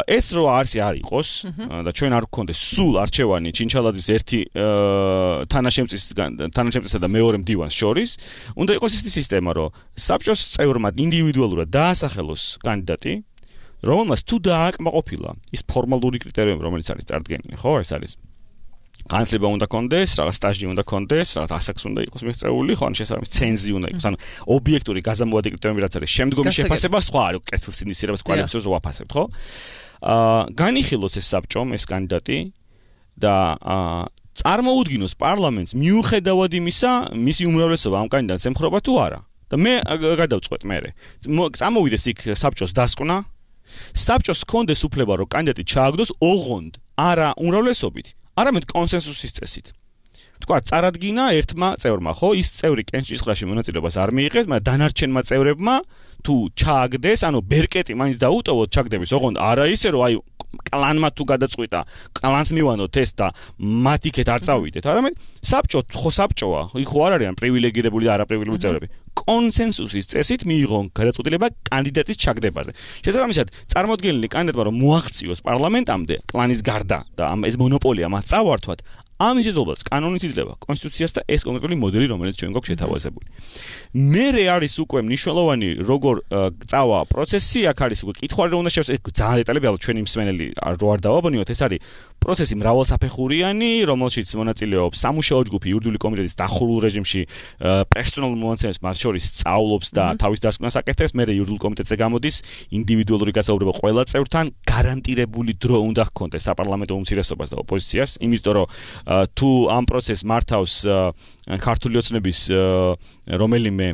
ეს რო არც არ იყოს და ჩვენ არ გქონდეს სულ არჩევანი ჩინჩალაძის ერთი თანაშემწისგან თანაშემწესა და მეორე მდივანს შორის, უნდა იყოს ისეთი სისტემა, რომ საბჭოს წევრმა ინდივიდუალურად დაასახელოს კანდიდატი, რომელმაც თუ დააკმაყოფილა ის ფორმალური კრიტერიუმი, რომელიც არის წარდგენილი, ხო, ეს არის განათლება უნდა კონდეს, რაღაც სტაჟი უნდა კონდეს, რაღაც ასაკს უნდა იყოს მიღწეული, ხო, ან შესაბამის ცენზი უნდა იყოს, ანუ ობიექტური გაზამოადი კრიტერიუმი რაც არის, შემდგომი შეფასება სხვა არის, კეთილსინისიერებას კვალიფიკაციას ვაფასებთ, ხო? აა განიხილოს ეს საბჭომ ეს კანდიდატი და აა წარმოუდგინოს პარლამენტს მიუხედავად იმისა, მისი უმრავლესობა ამ კანდიდატს ემხრობა თუ არა. და მე გადავწყვეტ მერე. წამოვიდეს იქ საბჭოს დასკვნა, საბჭოს ჰქონდეს უფლება რომ კანდიდატი ჩააგდოს ოღონდ არა უმრავლესობით. არამედ კონსენსუსის წესით. თქვა, წარადგინა ერთმა წევრმა, ხო, ის წევრი კენჭისყრაში მონაწილეობას არ მიიღეს, მაგრამ დანარჩენმა წევრებმა თუ ჩააგდეს, ანუ ბერკეტი მაინც დაუტოვოთ ჩაგდების, ოღონდ არა ისე, რომ აი კლანმა თუ გადაწყვიტა, კლანს მივანოთ ეს და მათ იქეთ არ წავიდეთ, არამედ საბჭო, ხო საბჭოა, იქ ხო არ არიან პრივილეგირებული და არაპრივილეგირებული წევრები. კონსენსუსის წესით მიიღონ გადაწყვეტილება კანდიდატის ჩაგდებაზე. შესაბამისად, წარმოდგენილი კანდიდატმა რომ მოაღწიოს პარლამენტამდე კლანის გარდა და ამ ეს მონოპოლია მას წავართვათ, ამ შესაძლებლობას კანონით იძლევა კონსტიტუციას და ეს კონკრეტული მოდელი, რომელიც ჩვენ გვაქვს შეთავაზებული. მერე არის უკვე მნიშვნელოვანი როგორ წავა პროცესი, აქ არის უკვე კითხვა რომ უნდა შევსწავლოთ ძალიან დეტალები, ალბათ ჩვენი მსმენელი რო არ დავაბნიოთ, ეს არის პროცესი მრავალსაფეხურიანი, რომელშიც მონაწილეობს სამუშაო ჯგუფი იურიდიული კომიტეტის დახურულ რეჟიმში პერსონალურ მონაცემებს მათ შორის სწავლობს და თავის დასკვნას აკეთებს, მერე იურიდიულ კომიტეტზე გამოდის ინდივიდუალური გასაუბრება ყველა წევრთან, გარანტირებული დრო უნდა ჰქონდეს საპარლამენტო უმცირესობას და ოპოზიციას, იმიტომ რომ თუ ამ პროცესს მართავს ქართული ოცნების რომელიმე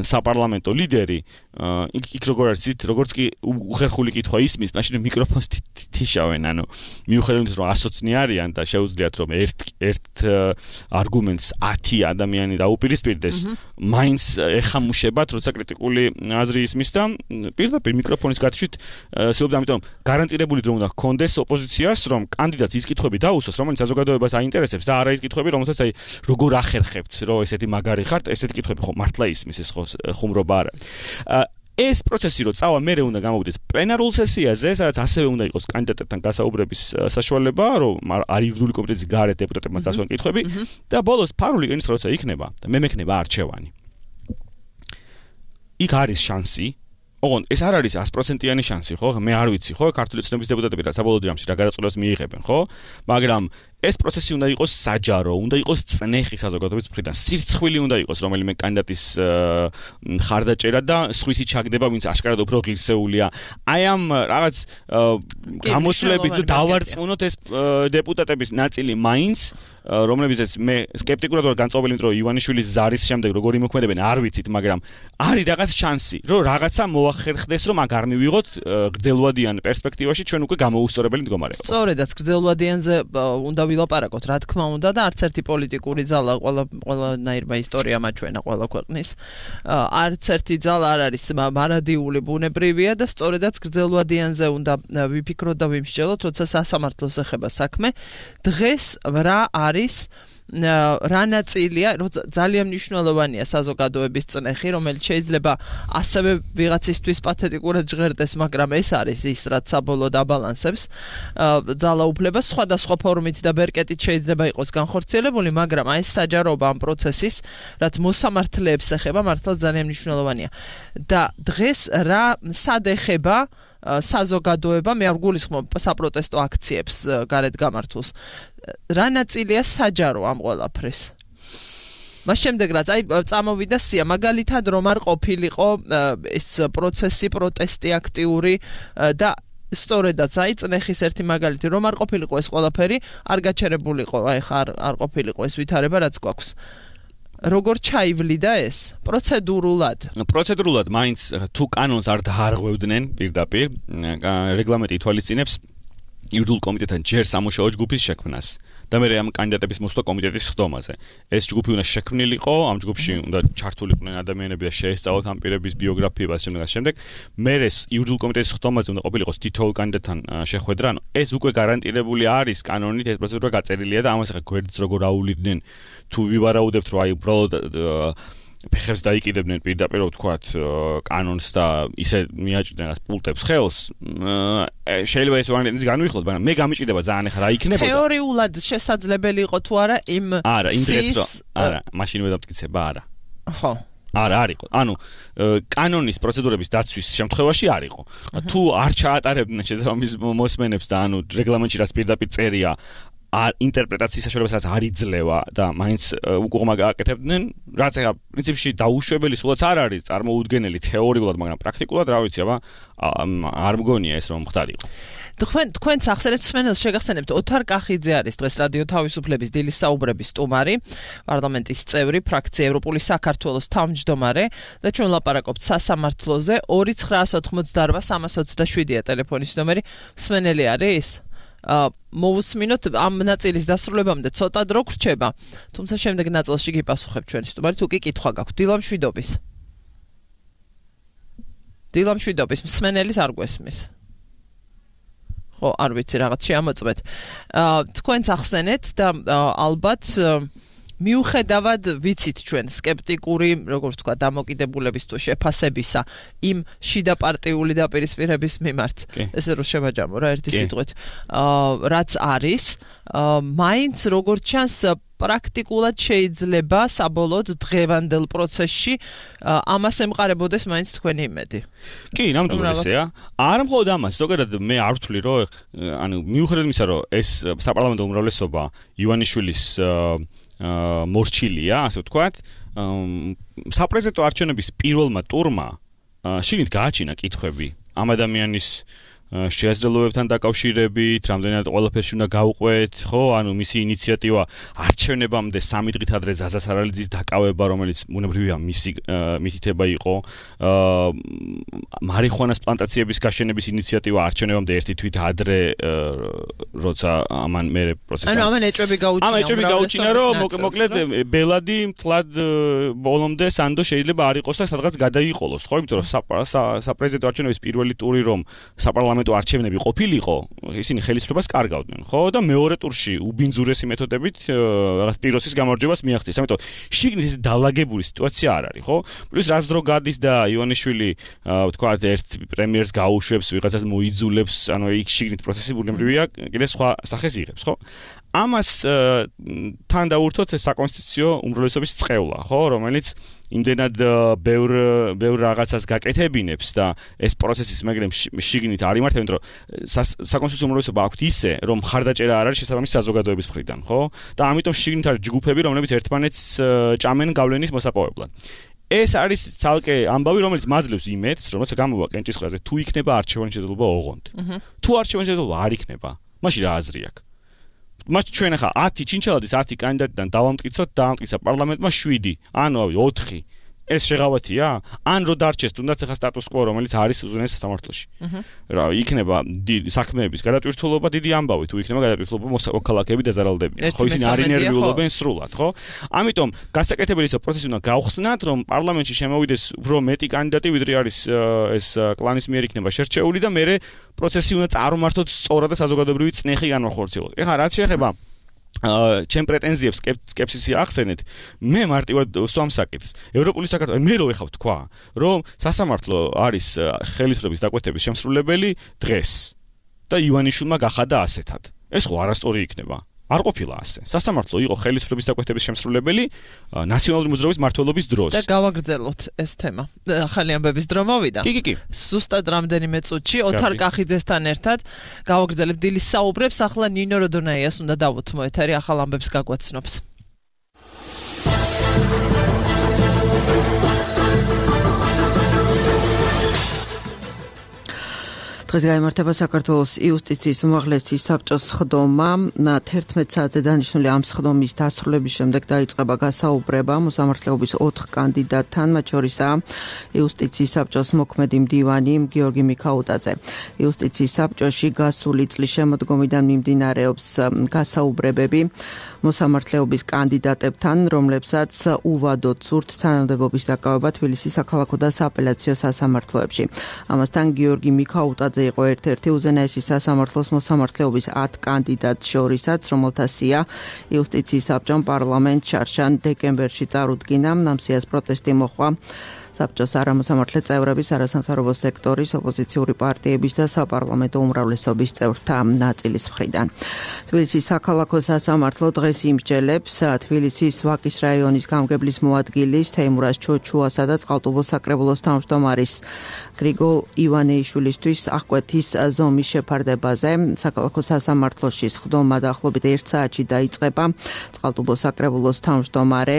საპარლამენტო ლიდერი, იქ როგორ არის იცით, როგორც კი უხერხული კითხვა ისმის, მაშინ მიკროფონს თიშავენ, ანუ მიუხედავად იმისა, რომ ასოცნი არიან და შეუძლიათ რომ ერთ ერთ არგუმენტს ათი ადამიანი დაუპირისპირდეს, მაინც ეხამუშებათ, როცა კრიტიკული აზრი ისმის და პირდაპირ მიკროფონის გათიშვით სულობ ამიტომ გარანტირებული დრო უნდა ჰქონდეს ოპოზიციას, რომ კანდიდატს ის კითხვები დაუსვას, რომელიც საზოგადოებას აინტერესებს და არა ის კითხვები, რომელსაც აი როგორ ახერხებთ, რომ ესეთი მაგარი ხართ, ესეთი კითხვები ხო მართლა ისმის, ეს ხო ხუმრობა არა. ეს პროცესი რო წავა, მე უნდა გამოვიდეს პლენარულ სესიაზე, სადაც ასევე უნდა იყოს კანდიდატებთან გასაუბრების საშუალება, რომ არ ირდული კომიტეტის გარეთ დეპუტატებმა დასვან კითხვები და ბოლოს ფარული კენს როცა იქნება და მე მექნება არჩევანი. იქ არის შანსი ოღონდ ეს არ არის sto პროცენტიანი შანსი, ხო? მე არ ვიცი, ხო? ქართული ოცნების დეპუტატები რა საბოლოო ჯამში რა გადაწყვეტას მიიღებენ, ხო? მაგრამ ეს პროცესი უნდა იყოს საჯარო, უნდა იყოს წნეხი საზოგადოების მხრიდან, სირცხვილი უნდა იყოს რომელიმე კანდიდატის ხარდაჭერა და სხვისი ჩაგდება, ვინც აშკარად უფრო ღირსეულია. აი ამ რაღაც გამოსვლებით თუ დავარწმუნოთ ეს დეპუტატების ნაწილი მაინც რომლებიც მე სკეპტიკურად ვარ განწყობილი, იმიტომ რომ ივანიშვილის ზარის შემდეგ როგორი მოქმედებენ არ ვიცით, მაგრამ არის რაღაც შანსი, რომ რაღაცა მოახერხდეს, რომ მაგ არ მივიღოთ გრძელვადიან პერსპექტივაში ჩვენ უკვე გამოუსწორებელი მდგომარეობა. სწორედაც გრძელვადიანზე უნდა ვილაპარაკოთ, რა თქმა უნდა და არც ერთი პოლიტიკური ძალა ყველა ყველანაირმა ისტორია მაჩვენა ყველა ქვეყნის. არც ერთი ძალა არ არის მარადიული ბუნებრივია და სწორედაც გრძელვადიანზე უნდა ვიფიქროთ და ვიმსჯელოთ, როცა სასამართლოს ეხება საქმე. დღეს რა არის რა ნაწილია, ძალიან მნიშვნელოვანია საზოგადოების წნეხი, რომელიც შეიძლება ასევე ვიღაცისთვის პათეტიკურად ჟღერდეს, მაგრამ ეს არის ის, რაც საბოლოოდ აბალანსებს ძალაუფლებას სხვადასხვა ფორმით და ბერკეტით შეიძლება იყოს განხორციელებული, მაგრამ აი ეს საჯაროობა ამ პროცესის, რაც მოსამართლეებს ეხება, მართლა ძალიან მნიშვნელოვანია. და დღეს რა სად ეხება საზოგადოება, მე არ გულისხმობ საპროტესტო აქციებს გარეთ გამართულს. რა ნაწილია საჯარო ამ ყველაფრის? მას შემდეგ რაც აი წამოვიდა სია, მაგალითად რომ არ ყოფილიყო ეს პროცესი, პროტესტი აქტიური და სწორედაც აი წნეხის ერთი მაგალითი რომ არ ყოფილიყო ეს ყველაფერი, არ გაჩერებულიყო, აი ხა არ არ ყოფილიყო ეს ვითარება რაც გვაქვს. როგორ ჩაივლიდა ეს პროცედურულად? პროცედურულად მაინც თუ კანონს არ დაარღვევდნენ პირდაპირ, რეგლამენტი ითვალისწინებს იურიდიულ კომიტეტთან ჯერ სამუშაო ჯგუფის შექმნას და მე ამ კანდიდატების მოსვლა კომიტეტის ხდომაზე. ეს ჯგუფი უნდა შექმნილიყო, ამ ჯგუფში უნდა ჩართულიყვნენ ადამიანები და შეესწავლოთ ამ პირების ბიოგრაფიები და შემდეგ შემდეგ. მე ეს იურიდიულ კომიტეტის ხდომაზე უნდა ყოფილიყოს თითოეულ კანდიდატთან შეხვედრა. ანუ ეს უკვე გარანტირებული არის კანონით, ეს პროცედურა გაწერილია და ამას ახლა გვერდს როგორ აულიდნენ თუ ვივარაუდებთ, რომ აი უბრალოდ ფეხებს დაიკიდებდნენ პირდაპირ ვთქვათ კანონს და ისე მიაჭრდნენ ას პულტებს ხელს, შეიძლება ეს ვარიანტიც განვიხილოთ, მაგრამ მე გამიჭირდება ძალიან ახლა რა იქნებოდა. თეორიულად შესაძლებელი იყო თუ არა იმ არა, იმ დღეს რომ არა, მაშინ ვედამტკიცება არა. ხო. არა, არ იყო. ანუ კანონის პროცედურების დაცვის შემთხვევაში არ იყო. თუ არ ჩაატარებდნენ შესაბამის მოსმენებს და ანუ რეგლამენტში რაც პირდაპირ წერია არ ინტერპრეტაციის საშუალებასაც არ იძლევა და მაინც უკუღმა გააკეთებდნენ, რაც ახლა პრინციპში დაუშვებელი სულაც არ არის წარმოუდგენელი თეორიულად, მაგრამ პრაქტიკულად რა ვიცი, აბა არ მგონია ეს რომ ხდარიყო. თქვენ თქვენც ახსენებთ სმენელს შეგახსენებთ ოთარ კახიძე არის დღეს რადიო თავისუფლების დილის საუბრების სტუმარი, პარლამენტის წევრი, ფრაქცია ევროპული საქართველოს თავმჯდომარე და ჩვენ ვლაპარაკობთ სასამართლოზე. ორი ცხრაას ოთხმოცდაარბა სამას ოცდაშვიდია ტელეფონის ნომერი. სმენელი არის? მოვუსმინოთ ამ ნაწილის დასრულებამდე ცოტა დრო გრჩება, თუმცა შემდეგ ნაწილში გიპასუხებ ჩვენი სტუმარი, თუ კი კითხვა გაქვთ. დილამშვიდობის. დილამშვიდობის, მსმენელის არ გვესმის. ხო, არ ვიცი, რაღაც შეამოწმეთ. თქვენც ახსენეთ და ალბათ მიუხედავად ვიცით ჩვენ სკეპტიკური, როგორ ვთქვა, დამოკიდებულების თუ შეფასებისა იმ შიდა პარტიული დაპირისპირების მიმართ. ესე რომ შევაჯამო რა ერთი სიტყვით. რაც არის, მაინც როგორ ჩანს პრაქტიკულად შეიძლება საბოლოოდ დღევანდელ პროცესში ამას ემყარებოდეს მაინც თქვენი იმედი. კი, ნამდვილად ესეა. არ მხოლოდ ამას, ზოგადად მე არ ვთვლი, რომ ანუ მიუხედავად იმისა, რომ ეს საპარლამენტო უმრავლესობა ივანიშვილის მორჩილია, ასე ვთქვათ, საპრეზიდენტო არჩევნების პირველმა ტურმა შიგნით გააჩინა კითხვები ამ ადამიანის შეაძლებლობებთან დაკავშირებით, რამდენად ყველაფერში უნდა გაუყვეთ, ხო, ანუ მისი ინიციატივა არჩევნებამდე სამი დღით ადრე ზაზა სარალიძის დაკავება, რომელიც უნებრივია მისი მითითება იყო, მარიხუანას პლანტაციების გაშენების ინიციატივა არჩევნებამდე ერთი თვით ადრე როცა ამან მე პროცესი ანუ ამან ეჭვები გაუჩინა ამ ეჭვები გაუჩინა რომ მოკლედ ბელადი მთლად ბოლომდე სანდო შეიძლება არ იყოს და სადღაც გადაიყოლოს ხო იმიტომ რომ საპრეზიდენტო არჩევნების პირველი ტური რომ საპარლამენტო არჩევნები ყოფილიყო ისინი ხელისუფლებას კარგავდნენ ხო და მეორე ტურში უბინძურესი მეთოდებით რაღაც პიროსის გამარჯვებას მიაღწიეს ამიტომ შიგნით ეს დაალაგებული სიტუაცია არ არის ხო პლუს რაც დრო გადის და ივანიშვილი თქვა ერთ პრემიერს გაუშვებს ვიღაცას მოიძულებს ანუ იქ შიგნით პროცესი ბუნებრივია კიდე სხვა სახეს იღებს ხო ამას თან დაურთოთ საკონსტიტუციო უმრავლესობის წყევლა ხო რომელიც იმდენად ბევრ ბევრ რაღაცას გაკეთებინებს და ეს პროცესის მაგრამ შიგნით არ იმართებენ რომ საკონსტიტუციო უმრავლესობა აქვთ ისე რომ მხარდაჭერა არ არის შესაბამისი საზოგადოების მხრიდან ხო და ამიტომ შიგნით არის ჯგუფები რომლებიც ერთმანეთს ჭამენ გავლენის მოსაპოვებლად ეს არის ცალკე ამბავი რომელიც მაძლევს იმედს რომ როცა გამოვა კენჭისყრაზე თუ იქნება არჩევანი შესაძლებლობა ოღონდ თუ არჩევანი შესაძლებლობა არ იქნება მაშინ რა აზრი აქვს მას ჩვენ ახლა ათი ჩინჩალადის ათი კანდიდატიდან დავამტკიცოთ დაამტკიცა პარლამენტმა შვიდი ანუ ოთხი ეს შეღავათია ან რო დარჩეს თუნდაც ახლა სტატუს კვო რომელიც არის უზენაეს სასამართლოში რა იქნება საქმეების გადატვირთულობა დიდი ამბავი თუ იქნება გადატვირთულობა მოქალაქეები დაზარალდებიან ხო ისინი არ ინერვიულობენ სრულად ხო ამიტომ გასაკეთებელი ის პროცესი უნდა გავხსნათ რომ პარლამენტში შემოვიდეს უფრო მეტი კანდიდატი ვიდრე არის ეს კლანის მიერ იქნება შერჩეული და მე პროცესი უნდა წარმართოთ სწორად და საზოგადოებრივი წნეხი განვახორციელოთ ეხლა რაც შეეხება ჩემ პრეტენზიებს სკეპსისი ახსენეთ მე მარტივად სვამ საკითხს ევროპული საქართველოს მე რო ეხავ თქვა რომ სასამართლო არის ხელისუფლების დაკვეთების შემსრულებელი დღეს და ივანიშვილმა გახადა ასეთად ეს ხო არასწორი იქნება არ ყოფილა ასე სასამართლო იყო ხელისუფლების დაკვეთების შემსრულებელი ნაციონალური მოძრაობის მმართველობის დროს და გავაგრძელოთ ეს თემა ახალი ამბების დრო მოვიდა კი კი კი სუსტად რამდენიმე წუთში ოთარ კახიძესთან ერთად გავაგრძელებთ დილის საუბრებს ახლა ნინო როდონაიას უნდა დავუთმო ეთერი ახალ ამბებს გაგვაცნობს დღეს გაიმართება საქართველოს იუსტიციის უმაღლესი საბჭოს სხდომა. თერთმეტ საათზე დანიშნული ამ სხდომის დასრულების შემდეგ დაიწყება გასაუბრება მოსამართლეობის ოთხ კანდიდატთან, მათ შორისაა იუსტიციის საბჭოს მოქმედი მდივანი გიორგი მიქაუტაძე. იუსტიციის საბჭოში გასული წლის შემოდგომიდან მიმდინარეობს გასაუბრებები მოსამართლეობის კანდიდატებთან, რომლებსაც უვადოდ სურთ თანამდებობის დაკავება თბილისის საქალაქო და სააპელაციო სასამართლოებში. ამასთან გიორგი მიქაუტაძე იყო ერთ-ერთი უზენაესი სასამართლოს მოსამართლეობის ათ კანდიდატს შორისაც, რომელთა სია იუსტიციის საბჭომ პარლამენტ შარშან დეკემბერში წარუდგინა. ამ სიას პროტესტი მოჰყვა საბჭოს არამოსამართლე წევრების, არასამთავრობო სექტორის, ოპოზიციური პარტიების და საპარლამენტო უმრავლესობის წევრთა ნაწილის მხრიდან. თბილისის საქალაქო სასამართლო დღეს იმსჯელებს თბილისის ვაკის რაიონის გამგებლის მოადგილის თეიმურაზ ჩოჩუასა და წყალტუბოს საკრებულოს თავმჯდომარის გრიგოლ ივანეიშვილისთვის აღკვეთის ზომის შეფარდებაზე. საქალაქო სასამართლოში სხდომა დაახლოებით ერთ საათში დაიწყება. წყალტუბოს საკრებულოს თავმჯდომარე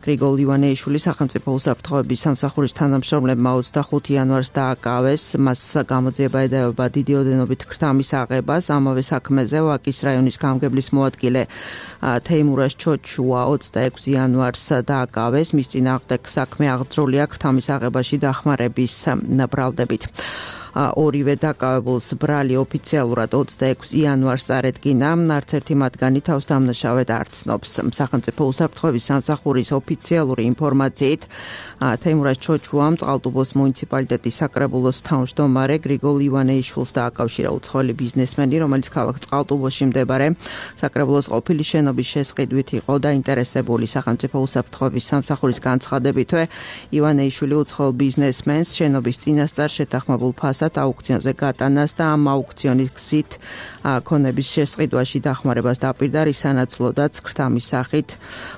გრიგოლ ივანეიშვილი სახელმწიფო უსაფრთხოების სამსახურის თანამშრომლებმა ოცდახუთი იანვარს დააკავეს. მას გამოძიება ედეობა დიდი ოდენობით ქრთამის აღებას. ამავე საქმეზე ვაკის რაიონის გამგებლის მოადგილე თეიმურაზ ჩოჩუა ოცდაექვსი იანვარს დააკავეს. მის წინააღმდეგ საქმე აღძრულია ქრთამის აღებაში დახმარების ბრალდებით. ორივე დაკავებულს ბრალი ოფიციალურად ოცდაექვსი იანვარს წარედგინა. არც ერთი მათგანი თავს დამნაშავედ არ ცნობს. სახელმწიფო უსაფრთხოების სამსახურის ოფიციალური ინფორმაციით თეიმურაზ ჩოჩუამ წყალტუბოს მუნიციპალიტეტის საკრებულოს თავმჯდომარე გრიგოლ ივანეიშვილს დააკავშირა უცხოელი ბიზნესმენი, რომელიც ქალაქ წყალტუბოში მდებარე საკრებულოს ყოფილი შენობის შესყიდვით იყო დაინტერესებული. სახელმწიფო უსაფრთხოების სამსახურის განცხადებითვე ივანეიშვილი უცხოელ ბიზნესმენს შენობის წინასწარ შეთანხმებულ ფასად აუქციონზე გატანას და ამ აუქციონის გზით ქონების შესყიდვაში დახმარებას დაპირდა, რის სანაცვლოდაც ქრთამის სახით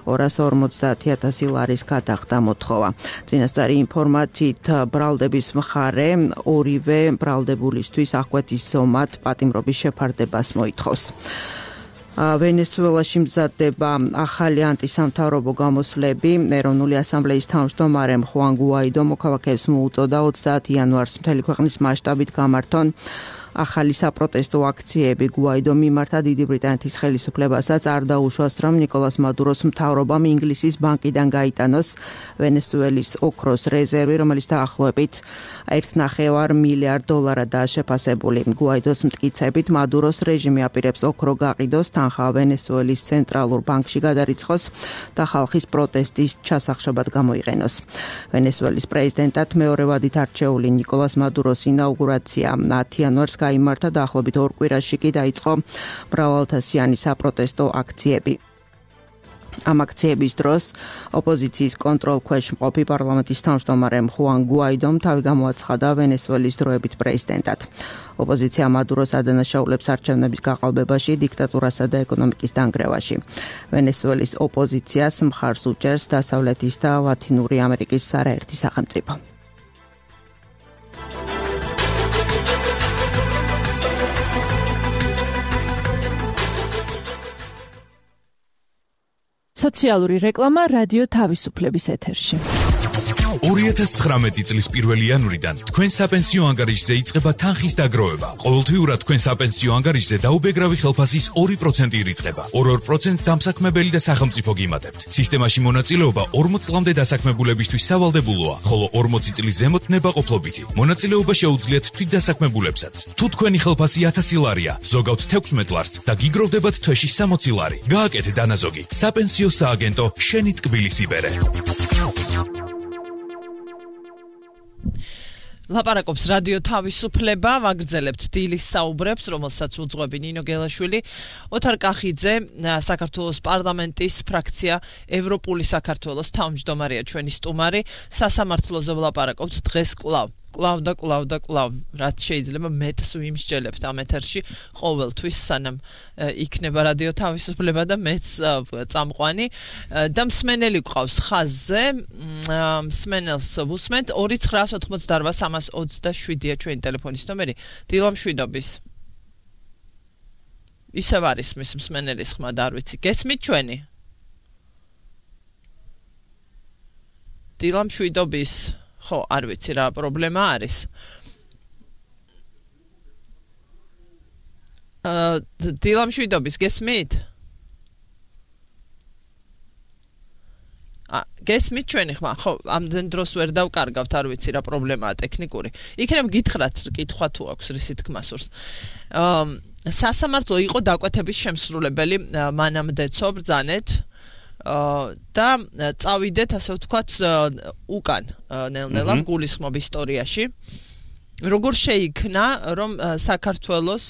ორას ორმოცდაათი ათასი ლარის გადახდა მოთხოვა. წინასწარი ინფორმაციით ბრალდების მხარე ორივე ბრალდებულისთვის აღკვეთის ზომად პატიმრობის შეფარდებას მოითხოვს. ვენესუელაში მზადდება ახალი ანტისამთავრობო გამოსვლები. ეროვნული ასამბლეის თავმჯდომარემ ხუან გუაიდო მოქალაქეებს მოუწოდა ოცდაათი იანვარს მთელი ქვეყნის მასშტაბით გამართონ ახალი საპროტესტო აქციები გუაიდომ მიმართა დიდი ბრიტანეთის ხელისუფლებასაც არ დაუშვას, რომ ნიკოლას მადუროს მთავრობამ ინგლისის ბანკიდან გაიტანოს ვენესუელის ოქროს რეზერვი, რომელიც დაახლოებით ერთ ნახევარ მილიარდ დოლარადაა შეფასებული. გუაიდოს მტკიცებით მადუროს რეჟიმი აპირებს ოქრო გაყიდოს, თანხა ვენესუელის ცენტრალურ ბანკში გადარიცხოს და ხალხის პროტესტის ჩასახშობად გამოიყენოს. ვენესუელის პრეზიდენტად მეორე ვადით არჩეული ნიკოლას მადუროს ინაუგურაცია ათი იანვარს გაიმართა, დაახლოებით ორ კვირაში კი დაიწყო მრავალთასიანი საპროტესტო აქციები. ამ აქციების დროს ოპოზიციის კონტროლ ქვეშ მყოფი პარლამენტის თავმჯდომარემ ხუან გუაიდომ თავი გამოაცხადა ვენესუელის დროებით პრეზიდენტად. ოპოზიცია მადუროს ადანაშაულებს არჩევნების გაყალბებაში, დიქტატურასა და ეკონომიკის დანგრევაში. ვენესუელის ოპოზიციას მხარს უჭერს დასავლეთის და ლათინური ამერიკის არაერთი სახელმწიფო. სოციალური რეკლამა რადიო თავისუფლების ეთერში. ორი ათას ცხრამეტი წლის პირველი იანვრიდან თქვენ საპენსიო ანგარიშზე იწყება თანხის დაგროვება. ყოველთვიურად თქვენ საპენსიო ანგარიშზე დაუბეგრავი ხელფასის ორი პროცენტი ირიცხება. ორ-ორ პროცენტს დამსაქმებელი და სახელმწიფო გიმატებთ. სისტემაში მონაწილეობა ორმოც წლამდე დასაქმებულებისთვის სავალდებულოა, ხოლო ორმოცი წლის ზემოთ ნებაყოფლობითი. მონაწილეობა შეუძლიათ თვითდასაქმებულებსაც. თუ თქვენი ხელფასი ათასი ლარია, ზოგავთ თექვსმეტ ლარს და გიგროვდებათ თვეში სამოცი ლარი. გააკეთე დანაზოგი. საპენსიო სააგენტო შენი ტკბილის იბერე. ლაპარაკობს რადიო თავისუფლება, ვაგრძელებთ დილის საუბრებს, რომელსაც უძღვები ნინო გელაშვილი, ოთარ კახიძე, საქართველოს პარლამენტის ფრაქცია ევროპული საქართველოს თავმჯდომარეა ჩვენი სტუმარი, სასამართლოზე ვლაპარაკობთ დღეს კვლავ. კვლავ და კვლავ და კვლავ, რაც შეიძლება მეტს ვიმსჯელებთ ამ ეთერში ყოველთვის, სანამ იქნება რადიო თავისუფლება და მეც წამყვანი და მსმენელი გვყავს ხაზზე, მსმენელს ვუსმენთ ორი ცხრაას ოთხმოცდაორვა სამას ოცდაშვიდია ჩვენი ტელეფონის ნომერი. დილა მშვიდობის. ისევ არის მის მსმენელის ხმა და არ ვიცი, გესმით ჩვენი? დილა მშვიდობის. ხო, არ ვიცი რა პრობლემა არის. აა დილა მშვიდობის, გესმით? ა გესმით ჩვენი ხმა? ხო, ამდენ დროს ვერ დავკარგავთ, არ ვიცი რა პრობლემაა ტექნიკური. იქნებ გითხრათ კითხვა თუ აქვს რისი თქმა სურს. აა სასამართლო იყო დაკვეთების შემსრულებელი მანამდე ცო ბრძანეთ. და წავიდეთ, ასე ვთქვათ, უკან ნელ-ნელა გულისხმობ ისტორიაში. როგორ შეიქმნა, რომ საქართველოს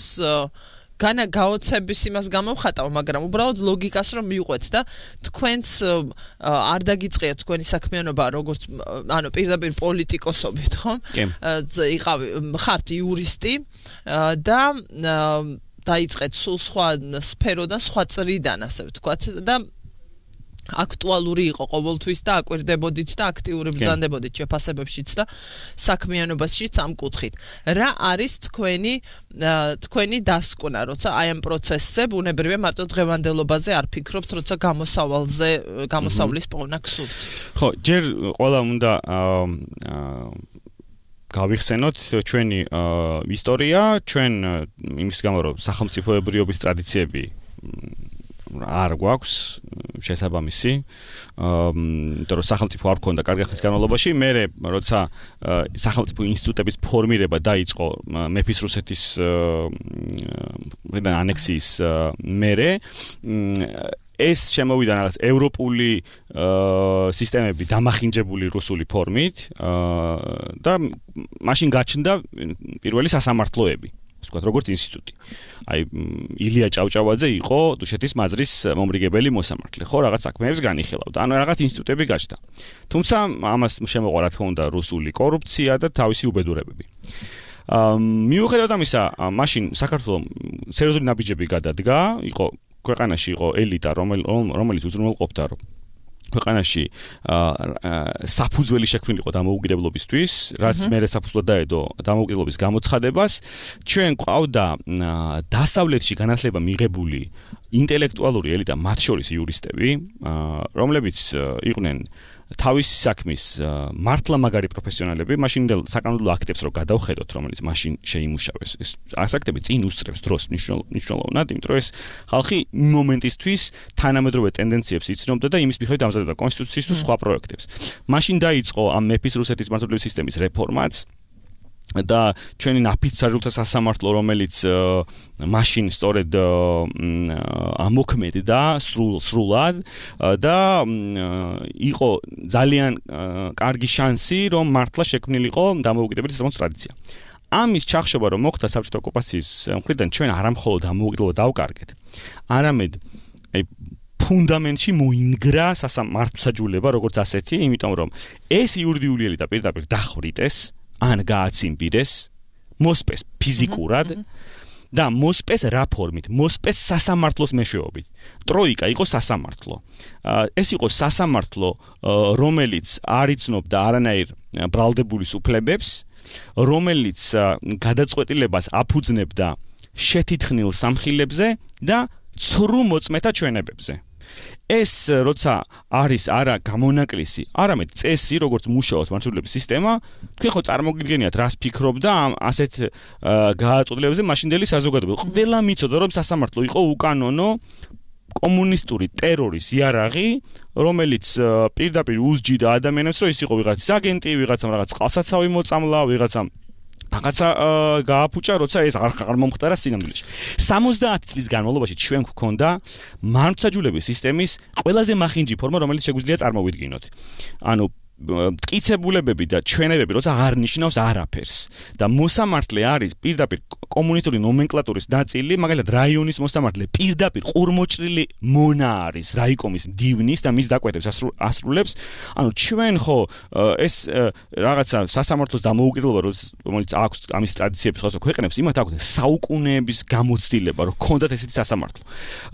განა გაოცების იმას გამოვხატავ, მაგრამ უბრალოდ ლოგიკას რომ მივყვეთ და თქვენც არ დაგიწყიათ თქვენი საქმიანობა, როგორც ანუ პირდაპირ პოლიტიკოსობით, ხო? იყავი, ხართ იურისტი და დაიწყეთ სულ სხვა სფეროდან, სხვა წრიდან, ასე ვთქვათ და აქტუალური იყო ყოველთვის და აკვირდებოდით და აქტიური ბრძანდებოდით შეფასებებშიც და საქმიანობაშიც ამ კუთხით. რა არის თქვენი თქვენი დასკვნა, როცა აი ამ პროცესზე ბუნებრივია მარტო დღევანდელობაზე არ ფიქრობთ, როცა გამოსავალზე გამოსავლის პოვნა გსურთ. ხო, ჯერ ყველა უნდა გავიხსენოთ ჩვენი ისტორია, ჩვენ იმის გამო რომ სახელმწიფოებრიობის ტრადიციები არ გვაქვს შესაბამისი, იმიტომ რომ სახელმწიფო არ ქონდა კარგი ხნის განმავლობაში, მერე როცა სახელმწიფო ინსტიტუტების ფორმირება დაიწყო მეფის რუსეთის მხრიდან ანექსიის მერე, ეს შემოვიდა რაღაც ევროპული სისტემები დამახინჯებული რუსული ფორმით და მაშინ გაჩნდა პირველი სასამართლოები. ვთქვათ, როგორც ინსტიტუტი. აი ილია ჭავჭავაძე იყო დუშეთის მაზრის მომრიგებელი მოსამართლე, ხო, რაღაც საქმეებს განიხილავდა. ანუ რაღაც ინსტიტუტები გაჩნდა. თუმცა ამას შემოყვა რა თქმა უნდა რუსული კორუფცია და თავისი უბედურებები. აა მიუხედავად ამისა, მაშინ საქართველოს სერიოზული ნაბიჯები გადადგა, იყო ქვეყანაში იყო ელიტა, რომელიც უზრუნველყოფდა რომ ქვეყანაში საფუძველი შექმნილიყო დამოუკიდებლობისთვის, რაც მერე საფუძვლად დაედო დამოუკიდებლობის გამოცხადებას. ჩვენ ყავდა დასავლეთში განათლება მიღებული ინტელექტუალური ელიტა, მათ შორის იურისტები, რომლებიც იყვნენ თავის საქმის მართლა მაგარი პროფესიონალები, მაშინდელ საკანონმდებლო აქტებს რო გადავხედოთ, რომელიც მაშინ შეიმუშავეს. ეს აქტები წინ უსწრებს დროს მნიშვნელოვნად, იმიტომ რომ ეს ხალხი მომენტისთვის თანამედროვე ტენდენციებს იცნობდა და იმის მიხედვით ამზადებდა კონსტიტუციის თუ სხვა პროექტებს. მაშინ დაიწყო ამ მეფის რუსეთის მართლობის სისტემის რეფორმაც და ჩვენი ნაფიცარულთა სასამართლო, რომელიც მაშინ სწორედ ამოქმედდა სრულ სრულად და იყო ძალიან კარგი შანსი, რომ მართლა შექმნილიყო დამოუკიდებელი სასამართლო ტრადიცია. ამის ჩახშობა რომ მოხდა საბჭოთა ოკუპაციის მხრიდან ჩვენ არა მხოლოდ დამოუკიდებლობა დავკარგეთ, არამედ აი ფუნდამენტში მოინგრა სასამართლოსაჯულება როგორც ასეთი, იმიტომ რომ ეს იურიდიული ელიტა პირდაპირ დახვრიტეს ან გააციმბირეს, მოსპეს ფიზიკურად და მოსპეს რა ფორმით? მოსპეს სასამართლოს მეშვეობით. ტროიკა იყო სასამართლო. ეს იყო სასამართლო, რომელიც არ იცნობდა არანაირ ბრალდებულის უფლებებს, რომელიც გადაწყვეტილებას აფუძნებდა შეთითხნილ სამხილებზე და ცრუ მოწმეთა ჩვენებებზე. ეს როცა არის არა გამონაკლისი, არამედ წესი, როგორც მუშაობს მართლობის სისტემა, თქვენ ხო წარმოგიდგენიათ, რას ფიქრობდა ამ ასეთ გააწყვეტილებებზე მაშინდელი საზოგადოება. ყველა მიცოდა, რომ სასამართლო იყო უკანონო კომუნისტური ტერორის იარაღი, რომელიც პირდაპირ უსჯიდა ადამიანებს, რომ ის იყო ვიღაცის აგენტი, ვიღაცამ რაღაც წყალსაცავი მოწამლა, ვიღაცამ რაღაცა გააფუჭა, როცა ეს არ მომხდარა სინამდვილეში. სამოცდაათი წლის განმავლობაში ჩვენ გვქონდა მართლმსაჯულების სისტემის ყველაზე მახინჯი ფორმა, რომელიც შეგვიძლია წარმოვიდგინოთ. ანუ მტკიცებულებები და ჩვენებები, როცა არ ნიშნავს არაფერს და მოსამართლე არის პირდაპირ კომუნისტური ნომენკლატურის ნაწილი, მაგალითად რაიონის მოსამართლე პირდაპირ ყურმოჭრილი მონა არის რაიკომის მდივნის და მის დაკვეთებს ასრულებს. ანუ ჩვენ ხო ეს რაღაცა სასამართლოს დამოუკიდებლობა, რომელიც აქვს ამის ტრადიციების სხვა ქვეყნებს, იმათ აქვს საუკუნეების გამოცდილება, რომ ქონდათ ესეთი სასამართლო.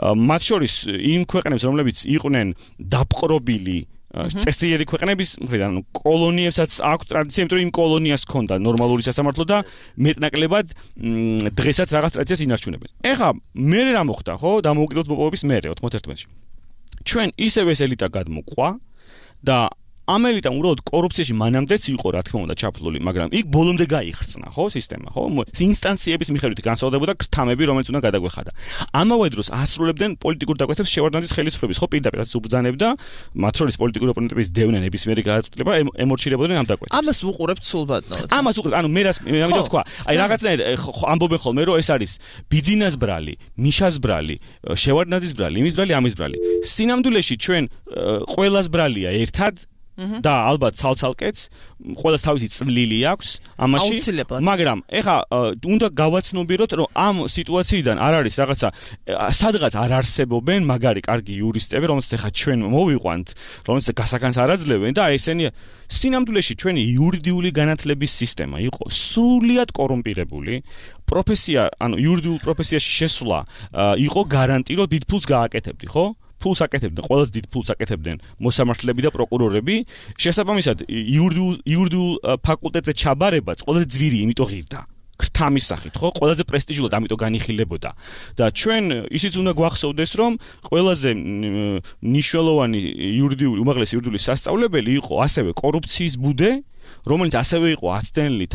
მათ შორის იმ ქვეყნებს, რომლებიც იყვნენ დაპყრობილი წესიერი ქვეყნების მხრიდან, ანუ კოლონიებსაც აქვს ტრადიცია, იმიტომ რომ იმ კოლონიას ჰქონდა ნორმალური სასამართლო და მეტნაკლებად დღესაც რაღაც ტრადიციას ინარჩუნებენ. ეხლა მე რა მოხდა, ხო, დამოუკიდებლობის მოპოვების მერე ოთხმოცდაერთმეტში. ჩვენ ისევ ეს ელიტა გადმოყვა და ამ ელიტამ უბრალოდ კორუფციაში მანამდეც იყო, რა თქმა უნდა, ჩაფლული, მაგრამ იქ ბოლომდე გაიხრწნა, ხო, სისტემა, ხო? ინსტანციების მიხედვით განსხვავდებოდა ქრთამები, რომელიც უნდა გადაგვეხადა. ამავე დროს ასრულებდნენ პოლიტიკურ დაკვეთებს შევარდნაძის ხელისუფლების, ხო, პირდაპირ უბრძანებდა, მათ შორის პოლიტიკური ოპონენტების დევნა ნებისმიერი გადაწყვეტილება ემორჩილებოდნენ ამ დაკვეთებს. ამას უყურებთ სულბადნოდ. ამას უყურებთ, ანუ მე რას მე ამიტომ თქვა, აი რაღაცნაირად ამბობენ ხოლმე, რომ ეს არის ბიძინას ბრალი, მიშას ბრალი, შევარდნაძის ბრალი, იმის ბრალი, ამის ბრალი. სინამდვილეში ჩვენ ყველას ბრალია ერთად და ალბათ ცალცალკეც ყველას თავისი წვლილი აქვს ამაში, მაგრამ ეხა უნდა გავაცნობიეროთ, რომ ამ სიტუაციიდან არ არის რაღაცა სადღაც არ არსებობენ მაგარი კარგი იურისტები, რომელსაც ეხა ჩვენ მოვიყვანთ, რომელსაც გასაგანს არ აძლევენ და ესენი სინამდვილეში ჩვენი იურიდიული განათლების სისტემა იყო სრულიად კორუმპირებული. პროფესია, ანუ იურიდიულ პროფესიაში შესვლა იყო გარანტი, რომ დიდ ფულს გააკეთებდი, ხო? ფულს აკეთებდნენ, ყველაზე დიდ ფულს აკეთებდნენ მოსამართლეები და პროკურორები. შესაბამისად, იურიდიულ იურიდიულ ფაკულტეტზე ჩაბარებაც ყველაზე ძვირი, იმიტომ ღირდა. ქრთამის სახით, ხო? ყველაზე პრესტიჟულად, ამიტომ განიხილებოდა. და ჩვენ ისიც უნდა გვახსოვდეს, რომ ყველაზე მნიშვნელოვანი იურიდიული, უმაღლესი იურიდიული სასწავლებელი იყო ასევე კორუფციის ბუდე, რომელიც ასევე იყო აცდენილი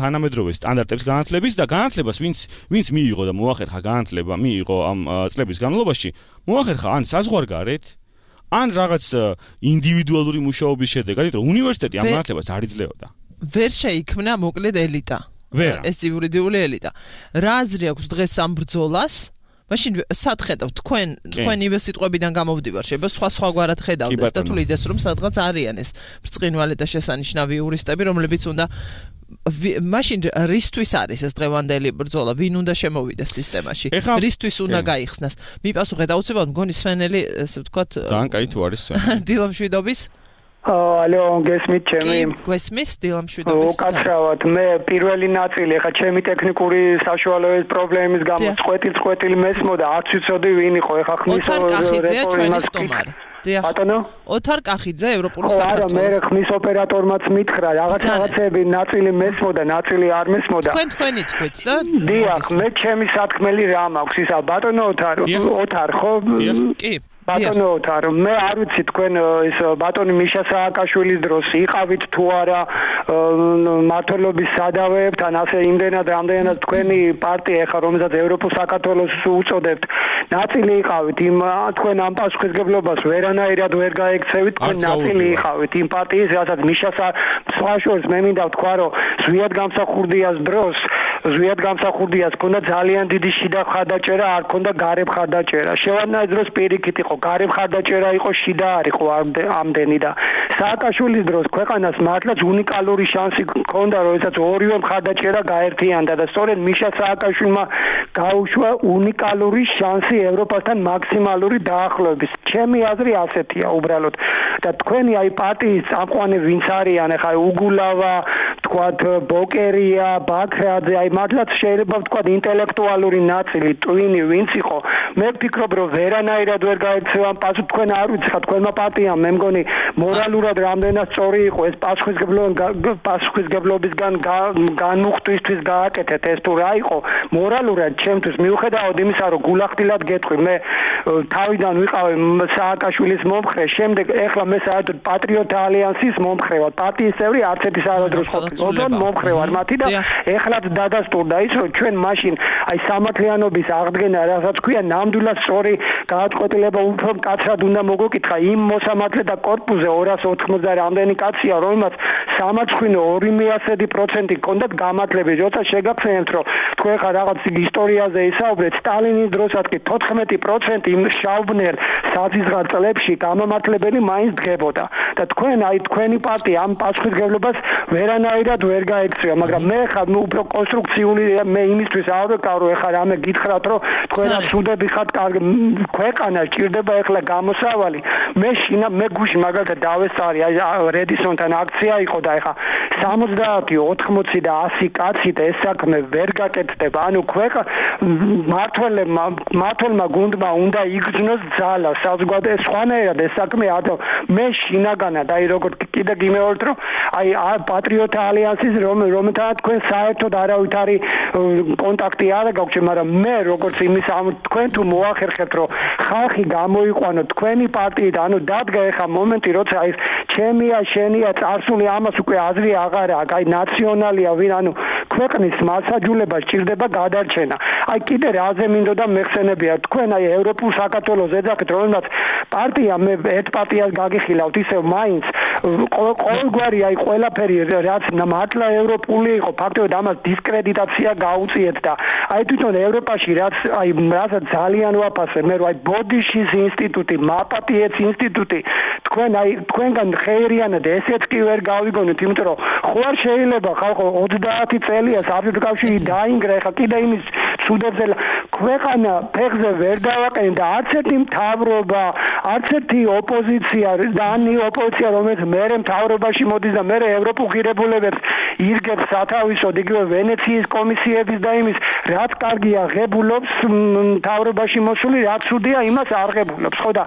თანამედროვე სტანდარტების განათლების და განათლებას ვინც ვინც მიიღო და მოახერხა განათლება, მიიღო ამ წლების განმავლობაში, მოახერხა ან საზღვარგარეთ, ან რაღაც ინდივიდუალური მუშაობის შედეგად, რომ უნივერსიტეტი ამ განათლებას არ იძლეოდა. ვერ შეიქმნა მოკლედ ელიტა. ეს იურიდიული ელიტა. რა აზრი აქვს დღეს ამ ბრძოლას? მაშინ სად ხედავთ თქვენ თქვენივე სიტყვებიდან გამოვდივარ, შეიძლება სხვა სხვაგვარად ხედავდეს და თulides რომ სადღაც არიან ეს ბრწყინვალე და შესანიშნავი იურისტები, რომლებიც უნდა მაშინ რისთვის არის ეს დღევანდელი ბრძოლა, ვინ უნდა შემოვიდეს სისტემაში, რისთვის უნდა გაიხსნას? მიპასუხეთ აუცილებლად მგონი სვენელი, ესე ვთქვათ, ძალიან კაი თუ არის სვენელი. დილამშვიდობის ალო, გესმით ჩემი? გესმის დილამშვიდობის. უკაცრავად, მე პირველი ნაწილი, ხა ჩემი ტექნიკური საშუალებების პრობლემის გამო წყვეტილ-წყვეტილი მესმოდა, არც ვიცოდი ვინ იყო, ხა ხმის რეპორტაჟი. ბატონო? ოთარ კახიძე, ევროპული საქართველოს. არა, მე ხმის ოპერატორმაც მითხრა, რაღაც რაღაცები ნაწილი მესმოდა, ნაწილი არ მესმოდა. თქვენ თქვენი თქვით და? დიახ, მე ჩემი სათქმელი რა მაქვს, ისა ბატონო ოთარ, ოთარ ხო? კი. ბატონო თარო მე არ ვიცი თქვენ ის ბატონი მიშა სააკაშვილის დროს იყავით თუ არა მართლობის სადავეებთან ასე იმდენად რამდენად თქვენი პარტია ეხა რომელსაც ევროპულ საქართველოს უწოდებთ ნაწილი იყავით იმ თქვენ ამ პასუხისგებლობას ვერანაირად ვერ გაექცევით თქვენ ნაწილი იყავით იმ პარტიის რასაც მიშა სააკაშვილს მე მინდა ვთქვა რომ ზვიად გამსახურდიას დროს ზვიად გამსახურდიას ქონდა ძალიან დიდი შიდა ხარდაჭერა არ ქონდა გარე ხარდაჭერა შევარდნაძის დროს პირიქით იყო გარე ხარდაჭერა იყო შიდა არ იყო ამდენი და სააკაშვილის დროს ქვეყანას მართლაც უნიკალური შანსი ქონდა როდესაც ორივე მხარდაჭერა გაერთიანდა და სწორედ მიშა სააკაშვილმა გაუშვა უნიკალური შანსი ევროპასთან მაქსიმალური დაახლოების ჩემი აზრი ასეთია უბრალოდ და თქვენი აი პარტიის წამყვანი ვინც არიან ახლა უგულავა თქვათ ბოკერია ბაქრაძე აი მართლაც შეიძლება ვთქვათ ინტელექტუალური ნაწილი ტვინი ვინც იყო მე ვფიქრობ რომ ვერანაირად ვერ გაეცევა პასუხი თქვენ არ ვიცი ხა თქვენმა პარტიამ მე მგონი მორალურად რამდენად სწორი იყო ეს პასუხისგებლობისგან განმუხტვისთვის გააკეთეთ ეს თუ რა იყო მორალურად ჩემთვის მიუხედავად იმისა რომ გულახდილად გეტყვი მე თავიდან ვიყავი სააკაშვილის მომხრე შემდეგ ეხლა მე საერთოდ პატრიოტთა ალიანსის მომხრე ვარ პარტიის წევრი არც ერთი საერთოდ ოღონდ მომხრე ვარ მათი და ეხლაც დადასტურდა ის რომ ჩვენ მაშინ აი სამართლიანობის აღდგენა რასაც ქვია ნამდვილად სწორი გაათყոտილება უფრო მკაცრად უნდა მოგეკითხა იმ მოსამართლეთა კორპუსზე ორას ოთხმოცდა რამდენი კაცია რომელმაც სამარცხვინო ორი მიასედი პროცენტი ჰქონდათ გამართლები როცა შეგახსენებთ რომ თქვენ ხა რაღაც ისტორიაზე ისაუბრეთ სტალინის დროსაც კი თოთხმეტი პროცენტი იმ შავბნელ საზიზღარ წლებში გამამართლებელი მაინც დგებოდა და თქვენ აი თქვენი პარტია ამ პასუხისგებლობას ვერანაირად ვერ გაექცევა მაგრამ მე ხა უფრო კონსტრუქციული მე იმისთვის არ ვეკავ რომ ეხლა რამე გითხრათ რომ თქვენაც სუდები ხართ კარგი ქვეყანა ჭირდება ეხლა გამოსავალი მე შინა მე გუში მაგალითად დავესწარი აი რედისონთან აქცია იყო და ეხლა სამოცდაათი ოთხმოცი და ასი კაცით ეს საქმე ვერ გაკეთდება ანუ ქვეყა მართველმა მართლმა გუნდმა უნდა იგრძნოს ძალა საზოგადო სხვანაირად ეს საქმე ადო მე შინაგანა და აი როგორ კიდე გიმეორთ რომ აი პატრიოტთა ალიანსის რომელთან თქვენ საერთოდ არავითარი კონტაქტი არ გაგვჭირ მაგრამ მე როგორც იმის ამ თქვენ თუ მოახერხებთ რომ ხალხი გამოიყვანო თქვენი პარტიით ანუ დადგა ეხა მომენტი როცა აი ჩემია შენია წარსული ამას უკვე აზრი აღარა აქვს აი ნაციონალია ვინ ანუ ქვეყნის მასაჯულება სჭირდება გადარჩენა აი კიდე რაზე მინდოდა მეხსენებია თქვენ აი ევროპულ საქართველოს ეძახით რომელსაც პარტია მე ერთ პარტიას გაგიხილავთ ისევ მაინც ყოველგვარი აი ყველაფერი რაც მართლა ევროპული იყო ფაქტობრივად ამას დისკრედიტაცია გაუწიეთ და აი თვითონ ევროპაში რაც აი რასაც ძალიან ვაფასებ მე რომ აი ბოდიშის ინსტიტუტი მაპატიეც ინსტიტუტი თქვენ აი თქვენგან ხეირიანად ესეც კი ვერ გავიგონოთ იმიტომ რომ ხო არ შეიძლება ხალხო ოცდაათი წელია საბჭოთა კავშირი დაინგრა ეხა კიდე იმის ცუდებზე ქვეყანა ფეხზე ვერ დავაყენე და არც ერთი მთავრობა არც ერთი ოპოზიცია და ანი ოპოზიცია რომელიც მერე მთავრობაში მოდის და მერე ევროპულ ღირებულებებს ირგებს სათავისოდ იგივე ვენეციის კომისიების და იმის რაც კარგია ღებულობს მთავრობაში მოსული რაც ცუდია იმას არ ღებულობს ხო და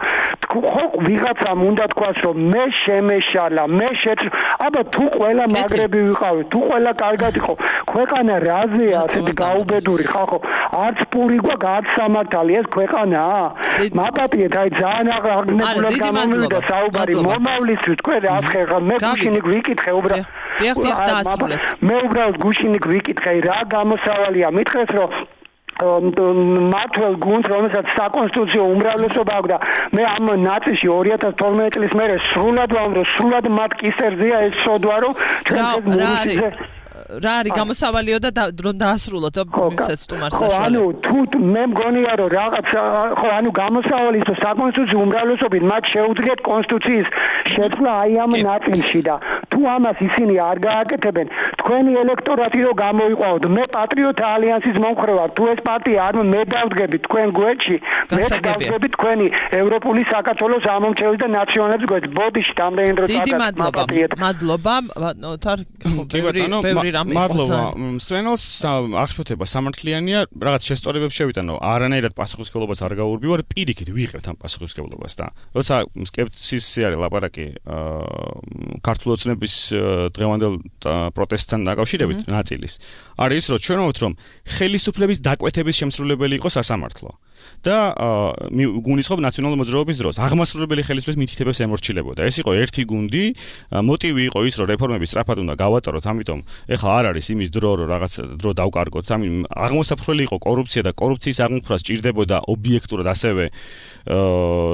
ხო ვიღაცამ უნდა თქვას რომ მე შემეშალა მე შეც აბა თუ ყველა მაგრები ვიყავი თუ ყველა კარგად იყო ქვეყანა რაზეა ასეთი გაუბედური ხალხო არც პური გვაქვს არც სამართალი ეს ქვეყანაა მაპატიეთ აი ძალიან აღგნებულად გამომივიდა საუბარი მომავლისთვის თქვენ რას ხერხა მე გუშინი ვიკითხე უბრალოდ მე უბრალოდ გუშინი ვიკითხე რა გამოსავალია მითხრეს რომ მართლ გუნდს რომელსაც საკონსტიტუციო უმრავლესობა აქვს და მე ამ ნაწილში ორი ათას თორმეტი წლის მერე სრულად ვამბობ სრულად მათ კისერზეა ეს სოდვა რომ ჩვენ რა არის გამოსავალიო და დრო დაასრულოთ მიცეთ სტუმარს საშუალება. ხო, ანუ თუ მე მგონია რომ რაღაც ხო, ანუ გამოსავალი ის საკონსტიტუციო უმრავლესობით მათ შეუძლიათ კონსტიტუციის შეცვლა აი ამ ნაწილში და თუ ამას ისინი არ გააკეთებენ, თქვენი ელექტორატი რო გამოიყვავთ, მე პატრიოტთა ალიანსის მომხრე ვარ, თუ ეს პარტია არ მე დავდგები თქვენ გვერდში, მე დავდგები თქვენი ევროპული საქართველოს ამომრჩევლის და ნაციონალების გვერდში. ბოდიში დამდენ დრო დაგაკეთებთ. დიდი მადლობა, მადლობა, თარ ბევრი რამე მადლობა. სვენელს აღშფოთება სამართლიანია, რაღაც შესწორებებს შევიტანო, არანაირად პასუხისმგებლობას არ გაურბივარ, პირიქით ვიღებთ ამ პასუხისმგებლობას და როცა სკეპტიციზმი არის ლაპარაკი ქართულ ოცნების დღევანდელ პროტესტ პროცესთან დაკავშირებით ნაწილის არის რომ ჩვენ ვთქვით რომ ხელისუფლების დაკვეთების შემსრულებელი იყო სასამართლო და გუნდისხობ ნაციონალური მოძრაობის დროს აღმასრულებელი ხელისუფლების მითითებებს ემორჩილებოდა. ეს იყო ერთი გუნდი, მოტივი იყო ის რომ რეფორმები სწრაფად უნდა გავატაროთ, ამიტომ ეხლა არ არის იმის დრო რომ რაღაც დრო დავკარგოთ. ამიტომ აღმოსაფრთხელი იყო კორუფცია და კორუფციის აღმოფხვრა სჭირდებოდა ობიექტურად ასევე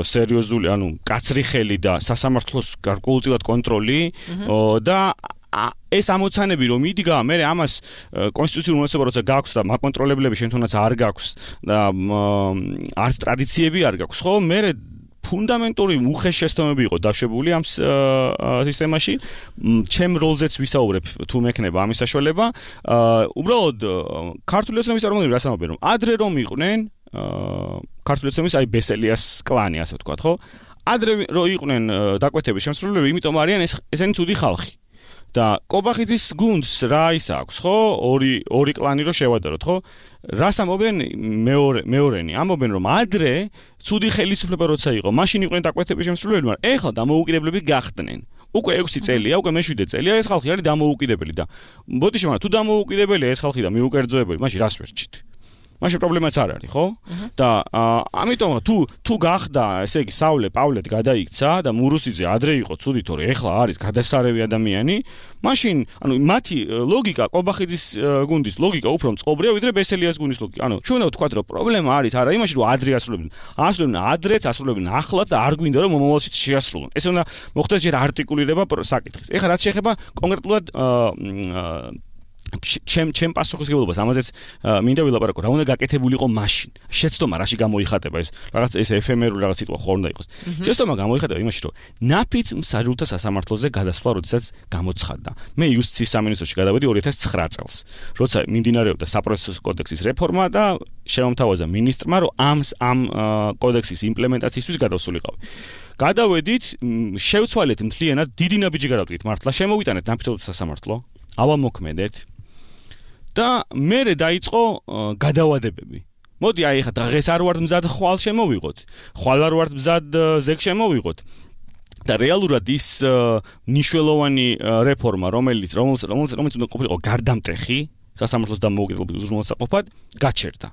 სერიოზული, ანუ კაცრი ხელი და სასამართლოს გარკვეულწილად კონტროლი და ეს ამოცანები რომ იდგა, მე ამას კონსტიტუციურ უმოწმობა როცა გაქვს და მაკონტროლებლები შემთხვევაც არ გაქვს და არც ტრადიციები არ გაქვს, ხო? მე ფუნდამენტური უხეშესტომები იყო დაშვებული ამ სისტემაში. ჩემ როლზეც ვისაუბრებ თუ მექნება ამის საშუალება. უბრალოდ ქართული ოცნების წარმომადგენლები რას ამბობენ, რომ ადრე რომ იყვნენ ქართული ოცნების აი ბესელიას კლანი, ასე ვთქვათ, ხო? ადრე რომ იყვნენ დაკვეთების შემსრულებლები, იმიტომ არიან ესენი ცუდი ხალხი. და კობახიძის გუნდს რა ის აქვს, ხო? ორი ორი კლანი რო შევადაროთ, ხო? რას ამობენ მეორე მეორენი? ამობენ რომ ადრე ცუდი ხელისუფლება როცა იყო, მაშინ იყვნენ დაკვეთების შემსრულებლები, მაგრამ ეხლა დამოუკიდებლები გახდნენ. უკვე ექვსი წელია, უკვე მეშვიდე წელია ეს ხალხი არის დამოუკიდებელი და ბოდიში მაგრამ თუ დამოუკიდებელია ეს ხალხი და მიუკერძოებელი, მაშინ რას ვერჩით? მაშინ პრობლემაც არ არის, ხო? და ამიტომ თუ თუ გახდა, ესე იგი, საულე პავლეთ გადაიქცა და მურუსიძე ადრე იყო ცუდი, თორე ეხლა არის გადასარევი ადამიანი, მაშინ, ანუ მათი ლოგიკა, კობახიძის გუნდის ლოგიკა უფრო მწყობრია ვიდრე ბესელიას გუნდის ლოგიკა. ანუ ჩვენ უნდა ვთქვათ, რომ პრობლემა არის არა იმაში, რომ ადრე ასრულებდნენ. ასრულებდნენ ადრეც, ასრულებდნენ ახლაც და არ გვინდა რომ მომავალშიც შეასრულონ. ესე უნდა მოხდეს ჯერ არტიკულირება საკითხის. ეხლა რაც შეეხება კონკრეტულად ჩემ ჩემ პასუხისმგებლობას ამაზეც მინდა ვილაპარაკო, რა უნდა გაკეთებულიყო მაშინ. შეცდომა რაში გამოიხატება ეს რაღაც ეს ეფემერული რაღაც სიტყვა ხო უნდა იყოს. შეცდომა გამოიხატება იმაში, რომ ნაფიც მსაჯულთა სასამართლოზე გადასვლა, როდესაც გამოცხადდა. მე იუსტიციის სამინისტროში გადავედი ორი ათას ცხრა წელს, როცა მიმდინარეობდა საპროცესო კოდექსის რეფორმა და შემომთავაზა მინისტრმა, რომ ამ ამ კოდექსის იმპლემენტაციისთვის გადავსულიყავი. გადავედით, შევცვალეთ მთლიანად, დიდი ნაბიჯი გადავდგით მართლა, შემოვიტანეთ ნაფიც სასამართლო, ავამოქმედეთ და მერე დაიწყო გადავადებები. მოდი აი ხა დღეს არ ვარ მზად ხვალ შემოვიღოთ. ხვალ არ ვარ მზად ზეგ შემოვიღოთ. და რეალურად ის ნიშნულოვანი რეფორმა, რომელიც რომელიც რომელიც უნდა ყოფილიყო გარდამტეხი სასამართლოს დამოუკიდებლობის უზრუნველსაყოფად, გაჩერდა.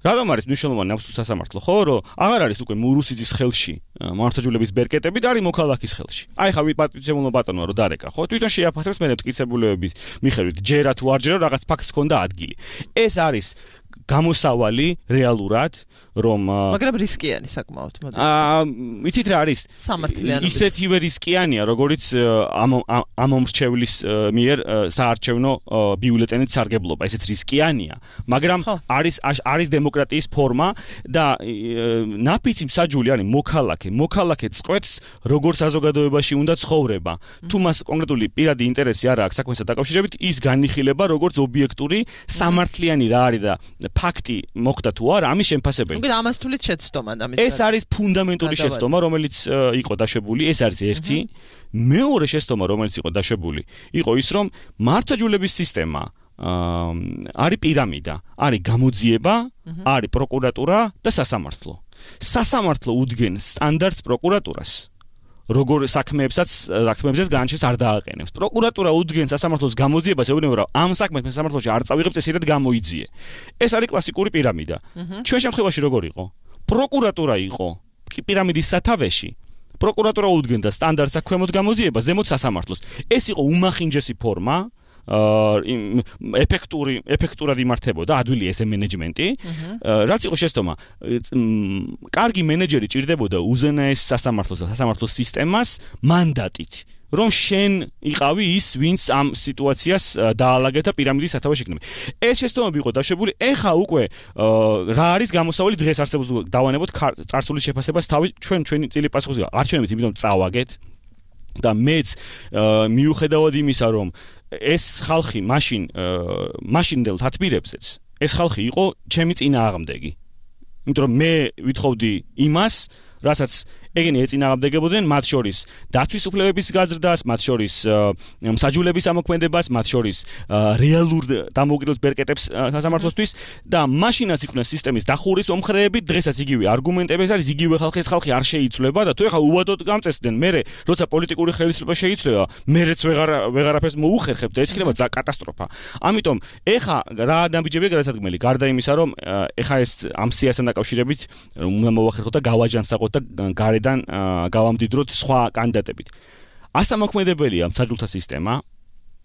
რატომ არის მნიშვნელოვანი ნაფსის სასამართლო, ხო, რომ აღარ არის უკვე მურუსიძის ხელში მართლმსაჯულების ბერკეტები და არის მოქალაქის ხელში. აი ხა ვიპატივებულო ბატონო რომ დარეკა, ხო? თვითონ შეაფასებს მე მტკიცებულებების მიხედვით, ჯერა თუ არ ჯერა რაღაც ფაქტს ჰქონდა ადგილი. ეს არის გამოსავალი რეალურად, რომ მაგრამ რისკიანი საკმაოდ, მოდი. აა, იცით რა არის? სამართლიანობის. ისეთივე რისკიანია, როგორც ამ მომრჩევლის მიერ საარჩევნო ბიულეტენის სარგებლობა, ესეც რისკიანია, მაგრამ არის არის დემოკრატიის ფორმა და ნაფიცი მსაჯული არის მოქალაქე, მოქალაქე წყვეტს როგორ საზოგადოებაში უნდა ცხოვრება. თუ მას კონკრეტული პირადი ინტერესი არ აქვს საქმესთან დაკავშირებით, ის განიხილება როგორც ობიექტური სამართლიანი რა არის და ფაქტი მოხდა თუ არა, ამის შემფასებელი. უკეთ ამას თulit შეცდომა და ამის ეს არის ფუნდამენტური შეცდომა, რომელიც იყო დაშვებული, ეს არის ერთი. მეორე შეცდომა, რომელიც იყო დაშვებული, იყო ის, რომ მართლმსაჯულების სისტემა არის პირამიდა, არის გამოძიება, არის პროკურატურა და სასამართლო. სასამართლო უდგენს სტანდარტს პროკურატურას. როგორ საქმეებსაც საქმეებსაც განაჩენს არ დააყენებს. პროკურატურა უდგენს სასამართლოს გამოძიებას, ეუბნება რომ ამ საქმეს მე სასამართლოში არ წავიღებ, წესიერად გამოიძიე. ეს არის კლასიკური პირამიდა. ჩვენ შემთხვევაში როგორ იყო? პროკურატურა იყო პირამიდის სათავეში. პროკურატურა უდგენდა სტანდარტ საქმემოდ გამოძიებას, ზემოთ სასამართლოს. ეს იყო უმახინჯესი ფორმა. ეფექტური ეფექტურად იმართებოდა ადვილი ესე მენეჯმენტი. რაც იყო შეცდომა, კარგი მენეჯერი ჭირდებოდა უზენაეს სასამართლოს და სასამართლოს სისტემას მანდატით, რომ შენ იყავი ის, ვინც ამ სიტუაციას დაალაგეთ და პირამიდის სათავეში იქნება. ეს შეცდომები იყო დაშვებული, ეხა უკვე რა არის გამოსავალი დღეს არსებობს დავანებოთ წარსულის შეფასებას თავი ჩვენ ჩვენი წილი პასუხისგან არჩევნებით, იმიტომ წავაგეთ და მეც მიუხედავად იმისა, რომ ეს ხალხი მაშინ მაშინდელ თათბირებზეც ეს ხალხი იყო ჩემი წინააღმდეგი. იმიტომ რომ მე ვითხოვდი იმას, რასაც ეგენი ეწინააღმდეგებოდნენ მათ შორის დაცვის უფლებების გაზრდას, მათ შორის მსაჯულების ამოქმედებას, მათ შორის რეალურ დამოუკიდებლობის ბერკეტებს სასამართლოსთვის და მაშინაც იყვნენ სისტემის დახურის მომხრეები, დღესაც იგივე არგუმენტები არის, იგივე ხალხის ხალხი არ შეიცვლება და თუ ეხლა უვადოდ გამწესდნენ, მერე როცა პოლიტიკური ხელისუფლება შეიცვლება, მერეც ვეღარ ვეღარაფერს მოუხერხებთ და ეს იქნება კატასტროფა. ამიტომ ეხლა რა დამბიჯებია გადასადგმელი, გარდა იმისა, რომ ეხლა ეს ამ სიასთან დაკავშირებით უნდა მოვახერხოთ და გავაჯანსაღოთ და გარედან გავამდიდროთ სხვა კანდიდატებით. ასამოქმედებელია მსაჯულთა სისტემა,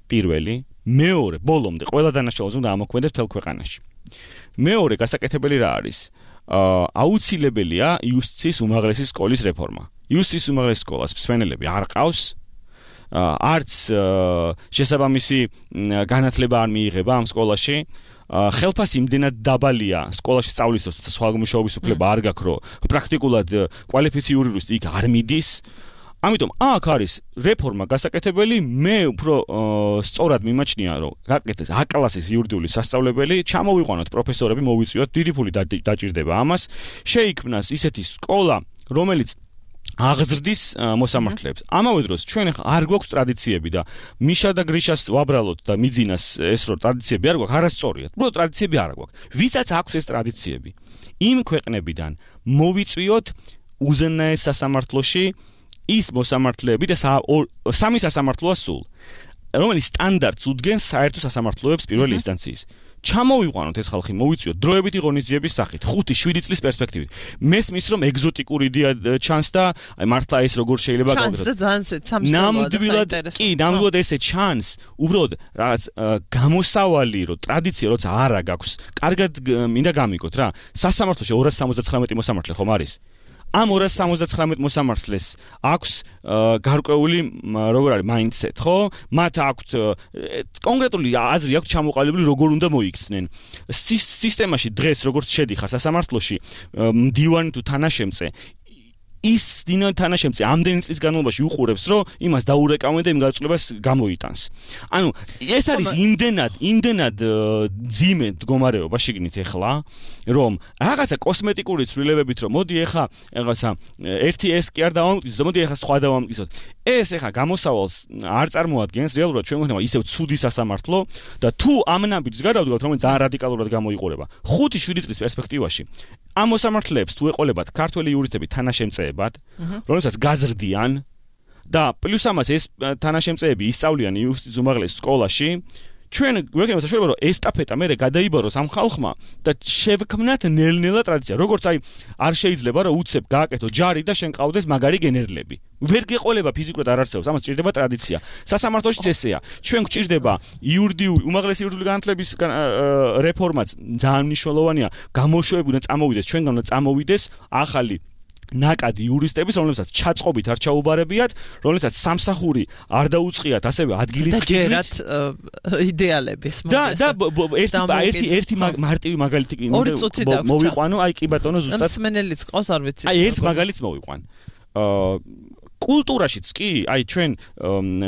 პირველი, მეორე, ბოლომდე ყველა დანაშაულს უნდა ამოქმედებს მთელ ქვეყანაში. მეორე გასაკეთებელი რა არის? აუცილებელია იუსტიციის უმაღლესი სკოლის რეფორმა. იუსტიციის უმაღლესი სკოლას მსმენელები არ ყავს, არც შესაბამისი განათლება არ მიიღება ამ სკოლაში. ხელფასი იმდენად დაბალია სკოლაში სწავლისთვის და სხვა მუშაობის უფლება არ გაქვს, რომ პრაქტიკულად კვალიფიციური იურისტი იქ არ მიდის. ამიტომ აქ არის რეფორმა გასაკეთებელი, მე უფრო სწორად მიმაჩნია, რომ გაკეთდეს A კლასის იურიდიული სასწავლებელი, ჩამოვიყვანოთ პროფესორები, მოვიწვიოთ, დიდი ფული დაჭირდება ამას, შეიქმნას ისეთი სკოლა, რომელიც აღზრდის მოსამართლეებს. ამავე დროს ჩვენ არ გვაქვს ტრადიციები და მიშა და გრიშას ვაბრალოთ და მიძინას ეს რო ტრადიციები არ გვაქვს, არასწორია. უბრალოდ ტრადიციები არ გვაქვს. ვისაც აქვს ეს ტრადიციები, იმ ქვეყნებიდან მოვიწვიოთ უზენაეს სასამართლოში ის მოსამართლეები და სამი სასამართლოა სულ, რომელიც სტანდარტს უდგენს საერთო სასამართლოებს პირველი ინსტანციის. ჩამოვიყვანოთ ეს ხალხი, მოვიწვიოთ დროებითი ღონისძიების სახით, ხუთი შვიდი წლის პერსპექტივით. მესმის რომ ეგზოტიკური იდეა ჩანს და მართლა ეს როგორ შეიძლება გავგრძელოთ. ჩანს და ძალიან სამშობლოა და კი, ნამდვილად ესე ჩანს, უბრალოდ რაღაც გამოსავალი, რომ ტრადიცია როცა არა გაქვს, კარგად მინდა გამიგოთ რა. სასამართლოში ორას სამოცდათხრამეტი მოსამართლე ხომ არის? ამ ორას სამოცდათხრამეტ მოსამართლეს აქვს გარკვეული როგორ არის mindset, ხო? მათ აქვთ კონკრეტული აზრი აქვს ჩამოყალიბებული როგორ უნდა მოიქცნენ. სისტემაში დღეს როგორც შედიხარ სასამართლოში მდივანი თუ თანაშემწე ის დინო თანაშემწე ამდენი წლის განმავლობაში უყურებს, რომ იმას დაურეკავენ და იმ გაწოლებას გამოიტანს. ანუ ეს არის იმდენად, იმდენად ძიმე მდგომარეობა შეგნით ეხლა, რომ რაღაცა კოსმეტიკური ცვლილებებით, რომ მოდი ეხლა რაღაცა ერთი ეს კი არ დავამტკიცოთ, მოდი ეხლა სხვა დავამტკიცოთ. ეს ეხლა გამოსავალს არ წარმოადგენს რეალურად ჩვენ გვქნება ისევ ცუდი სასამართლო და თუ ამ ნაბიჯს გადავდგავთ, რომელიც ძალიან რადიკალურად გამოიყურება. ხუთი შვიდი წლის პერსპექტივაში ამ მოსამართლეებს თუ ეყოლებათ ქართველი იურისტები თანაშემწეებად, რომელსაც გაზრდიან და პლუს ამას ეს თანაშემწეები ისწავლიან იუსტიციის უმაღლეს სკოლაში, ჩვენ გვექნება საშუალება, რომ ესტაფეტა მერე გადაიბაროს ამ ხალხმა და შევქმნათ ნელ-ნელა ტრადიცია. როგორც აი არ შეიძლება რომ უცებ გააკეთო ჯარი და შენ ყავდეს მაგარი გენერლები. ვერ გეყოლება ფიზიკურად არ არსებობს, ამას ჭირდება ტრადიცია. სასამართლოშიც ესეა. ჩვენ გვჭირდება იურიდიული, უმაღლესი იურიდიული განათლების რეფორმაც ძალიან მნიშვნელოვანია. გამოშვები უნდა წამოვიდეს, ჩვენგან უნდა წამოვიდეს ახალი ნაკადი იურისტების, რომლებსაც ჩაწყობით არ ჩაუბარებიათ, რომლებსაც სამსახური არ დაუწყიათ, ასევე ადგილის ხდით იდეალების და და ერთი ერთი მარტივი მაგალითი მოვიყვანო, აი კი ბატონო ზუსტად მსმენელიც ყავს, არ ვიცი. აი ერთ მაგალითს მოვიყვან. აა კულტურაშიც კი, აი ჩვენ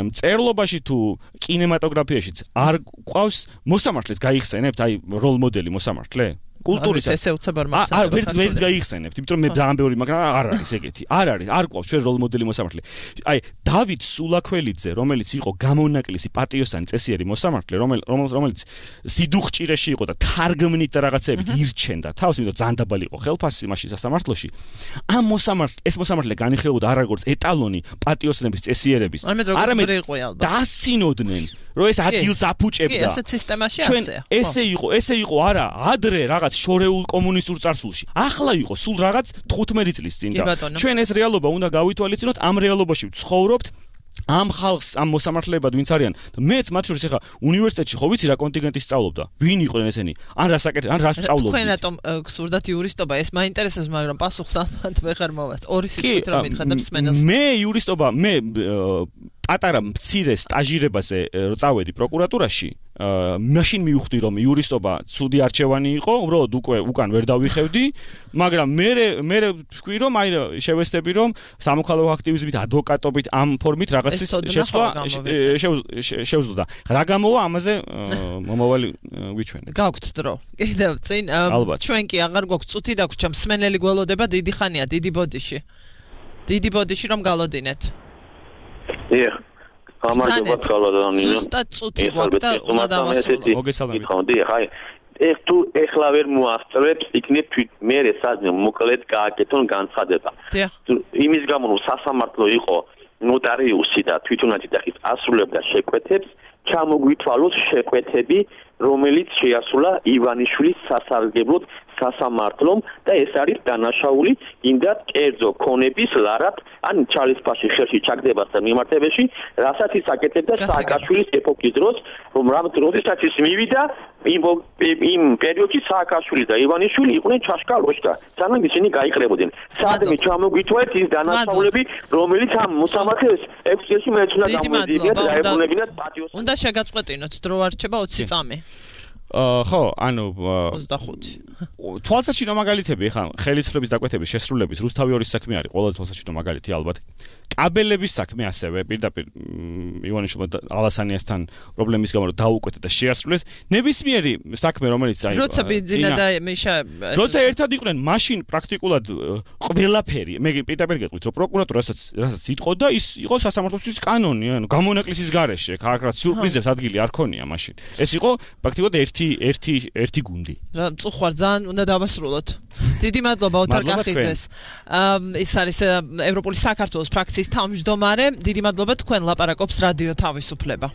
მწერლობაში თუ კინემატოგრაფიაშიც არ ყავს მოსამართლეს გაიხსენებთ, აი როლ მოდელი მოსამართლე? კულტურისა ესე უცებარ მასალას. არ ვერც ვერც გაიხსენებთ, იმიტომ რომ მე ძალიან ბევრი, მაგრამ არ არის ეგეთი. არ არის, არ ყავს ჩვენ როლ მოდელი მოსამართლე. აი დავით სულაქველიძე, რომელიც იყო გამონაკლისი პატიოსანი წესიერი მოსამართლე, რომელიც სიდუხჭირეში იყო და თარგმნით და რაღაცეებით ირჩენდა თავს, იმიტომ რომ ძალიან დაბალი იყო ხელფასი მაშინ სასამართლოში. ამ მოსამართლე, ეს მოსამართლე განიხილებოდა არა როგორც ეტალონი პატიოსნების წესიერების, არამედ დასცინოდნენ, რომ ეს ადგილს აფუჭებდა. კი, ესეც სისტემაში ჩვენ ესე იყო, ესე იყო არა, ადრე რაღაც შორეულ კომუნისტურ წარსულში. ახლა იყო სულ რაღაც თხუთმეტი წლის წინ და ჩვენ ეს რეალობა უნდა გავითვალისწინოთ, ამ რეალობაში ვცხოვრობთ. ამ ხალხს, ამ მოსამართლეებად ვინც არიან, მეც მათ შორის ახლა უნივერსიტეტში ხო ვიცი რა კონტინგენტი სწავლობდა, ვინ იყვნენ ესენი, ან რას აკეთებდნენ, ან რას სწავლობდნენ. თქვენ რატომ გსურდათ იურისტობა, ეს მაინტერესებს, მაგრამ პასუხს ამათ ვეღარ მოვასწ. ორი სიტყვით რომ მითხრა და მსმენელს. მე იურისტობა, მე პატარა მცირე სტაჟირებაზე რო წავედი პროკურატურაში, მაშინ მივხვდი რომ იურისტობა ცუდი არჩევანი იყო, უბრალოდ უკვე უკან ვერ დავიხევდი, მაგრამ მე მე ვთქვი რომ აი შევესწრები რომ სამოქალაქო აქტივიზმით, ადვოკატობით ამ ფორმით რაღაცის შეცვლა შევძლოდა. რა გამოვა ამაზე მომავალი ვიჩვენე. გაგვთ დრო. კიდევ წინ ჩვენ კი აღარ გვაქვს წუთი დაგვრჩა, მსმენელი გველოდება დიდი ხანია, დიდი ბოდიში. დიდი ბოდიში რომ galodinეთ. დიახ. გამარჯობა ხალხო. ზუსტად წუთი გვაქვს და უნდა დავასრულო. მოგესალმებით. დიახ, აი ეს თუ ეხლა ვერ მოასწრებს, იქნებ თვით მე სადმე მოკლედ გააკეთონ განცხადება. დიახ. იმის გამო რომ სასამართლო იყო ნოტარიუსი და თვითონაც იდახის ასრულებდა შეკვეთებს, ჩამოგვითვალოს შეკვეთები, რომელიც შეასრულა ივანიშვილის სასარგებლოდ სასამართლომ და ეს არის დანაშაული იმდათ კერძო ქონების ლარად ან ჩალისფაში ხელში ჩაგდებასთან მიმართებაში, რასაც ის აკეთებდა სააკაშვილის ეპოქის დროს, რომ რამ დროდესაც ის მივიდა იმ იმ პერიოდში სააკაშვილი და ივანიშვილი იყვნენ ჩაშკალოშკა, სანამ ისინი გაიყრებოდნენ. სადმე ჩამოგვითვალეთ ის დანაშაულები, რომელიც ამ მოსამართლეს ექვს წელში მეცნდა გამოეძიებინა და დაებრუნებინათ პატიოს. უნდა შეგაწყვეტინოთ დრო არ რჩება ოცი წამი. აა ხო, ანუ ოცდახუთი. თვალსაჩინო მაგალითები ხა ხელისუფლების დაკვეთების შესრულების რუსთავი ორის საქმე არის ყველაზე თვალსაჩინო მაგალითი ალბათ. კაბელების საქმე ასევე პირდაპირ ივანიშვილმა ალასანიასთან პრობლემის გამო დაუკვეთა და შეასრულეს ნებისმიერი საქმე რომელიც აი როცა ბიძინა და მიშა როცა ერთად იყვნენ მაშინ პრაქტიკულად ყველაფერი მე პირდაპირ გეტყვით რომ პროკურატურა რასაც რასაც იტყო და ის იყო სასამართლოსთვის კანონი ანუ გამონაკლისის გარეშე ხარკრა სიურპრიზებს ადგილი არ ქონია მაშინ ეს იყო პრაქტიკულად ერთი ერთი ერთი გუნდი რა მწუხვარ ძალიან უნდა დავასრულოთ დიდი მადლობა ოთარ კახიძეს ის არის ევროპული საქართველოს ფრაქციის თავმჯდომარე დიდი მადლობა თქვენ ლაპარაკობს რადიო თავისუფლება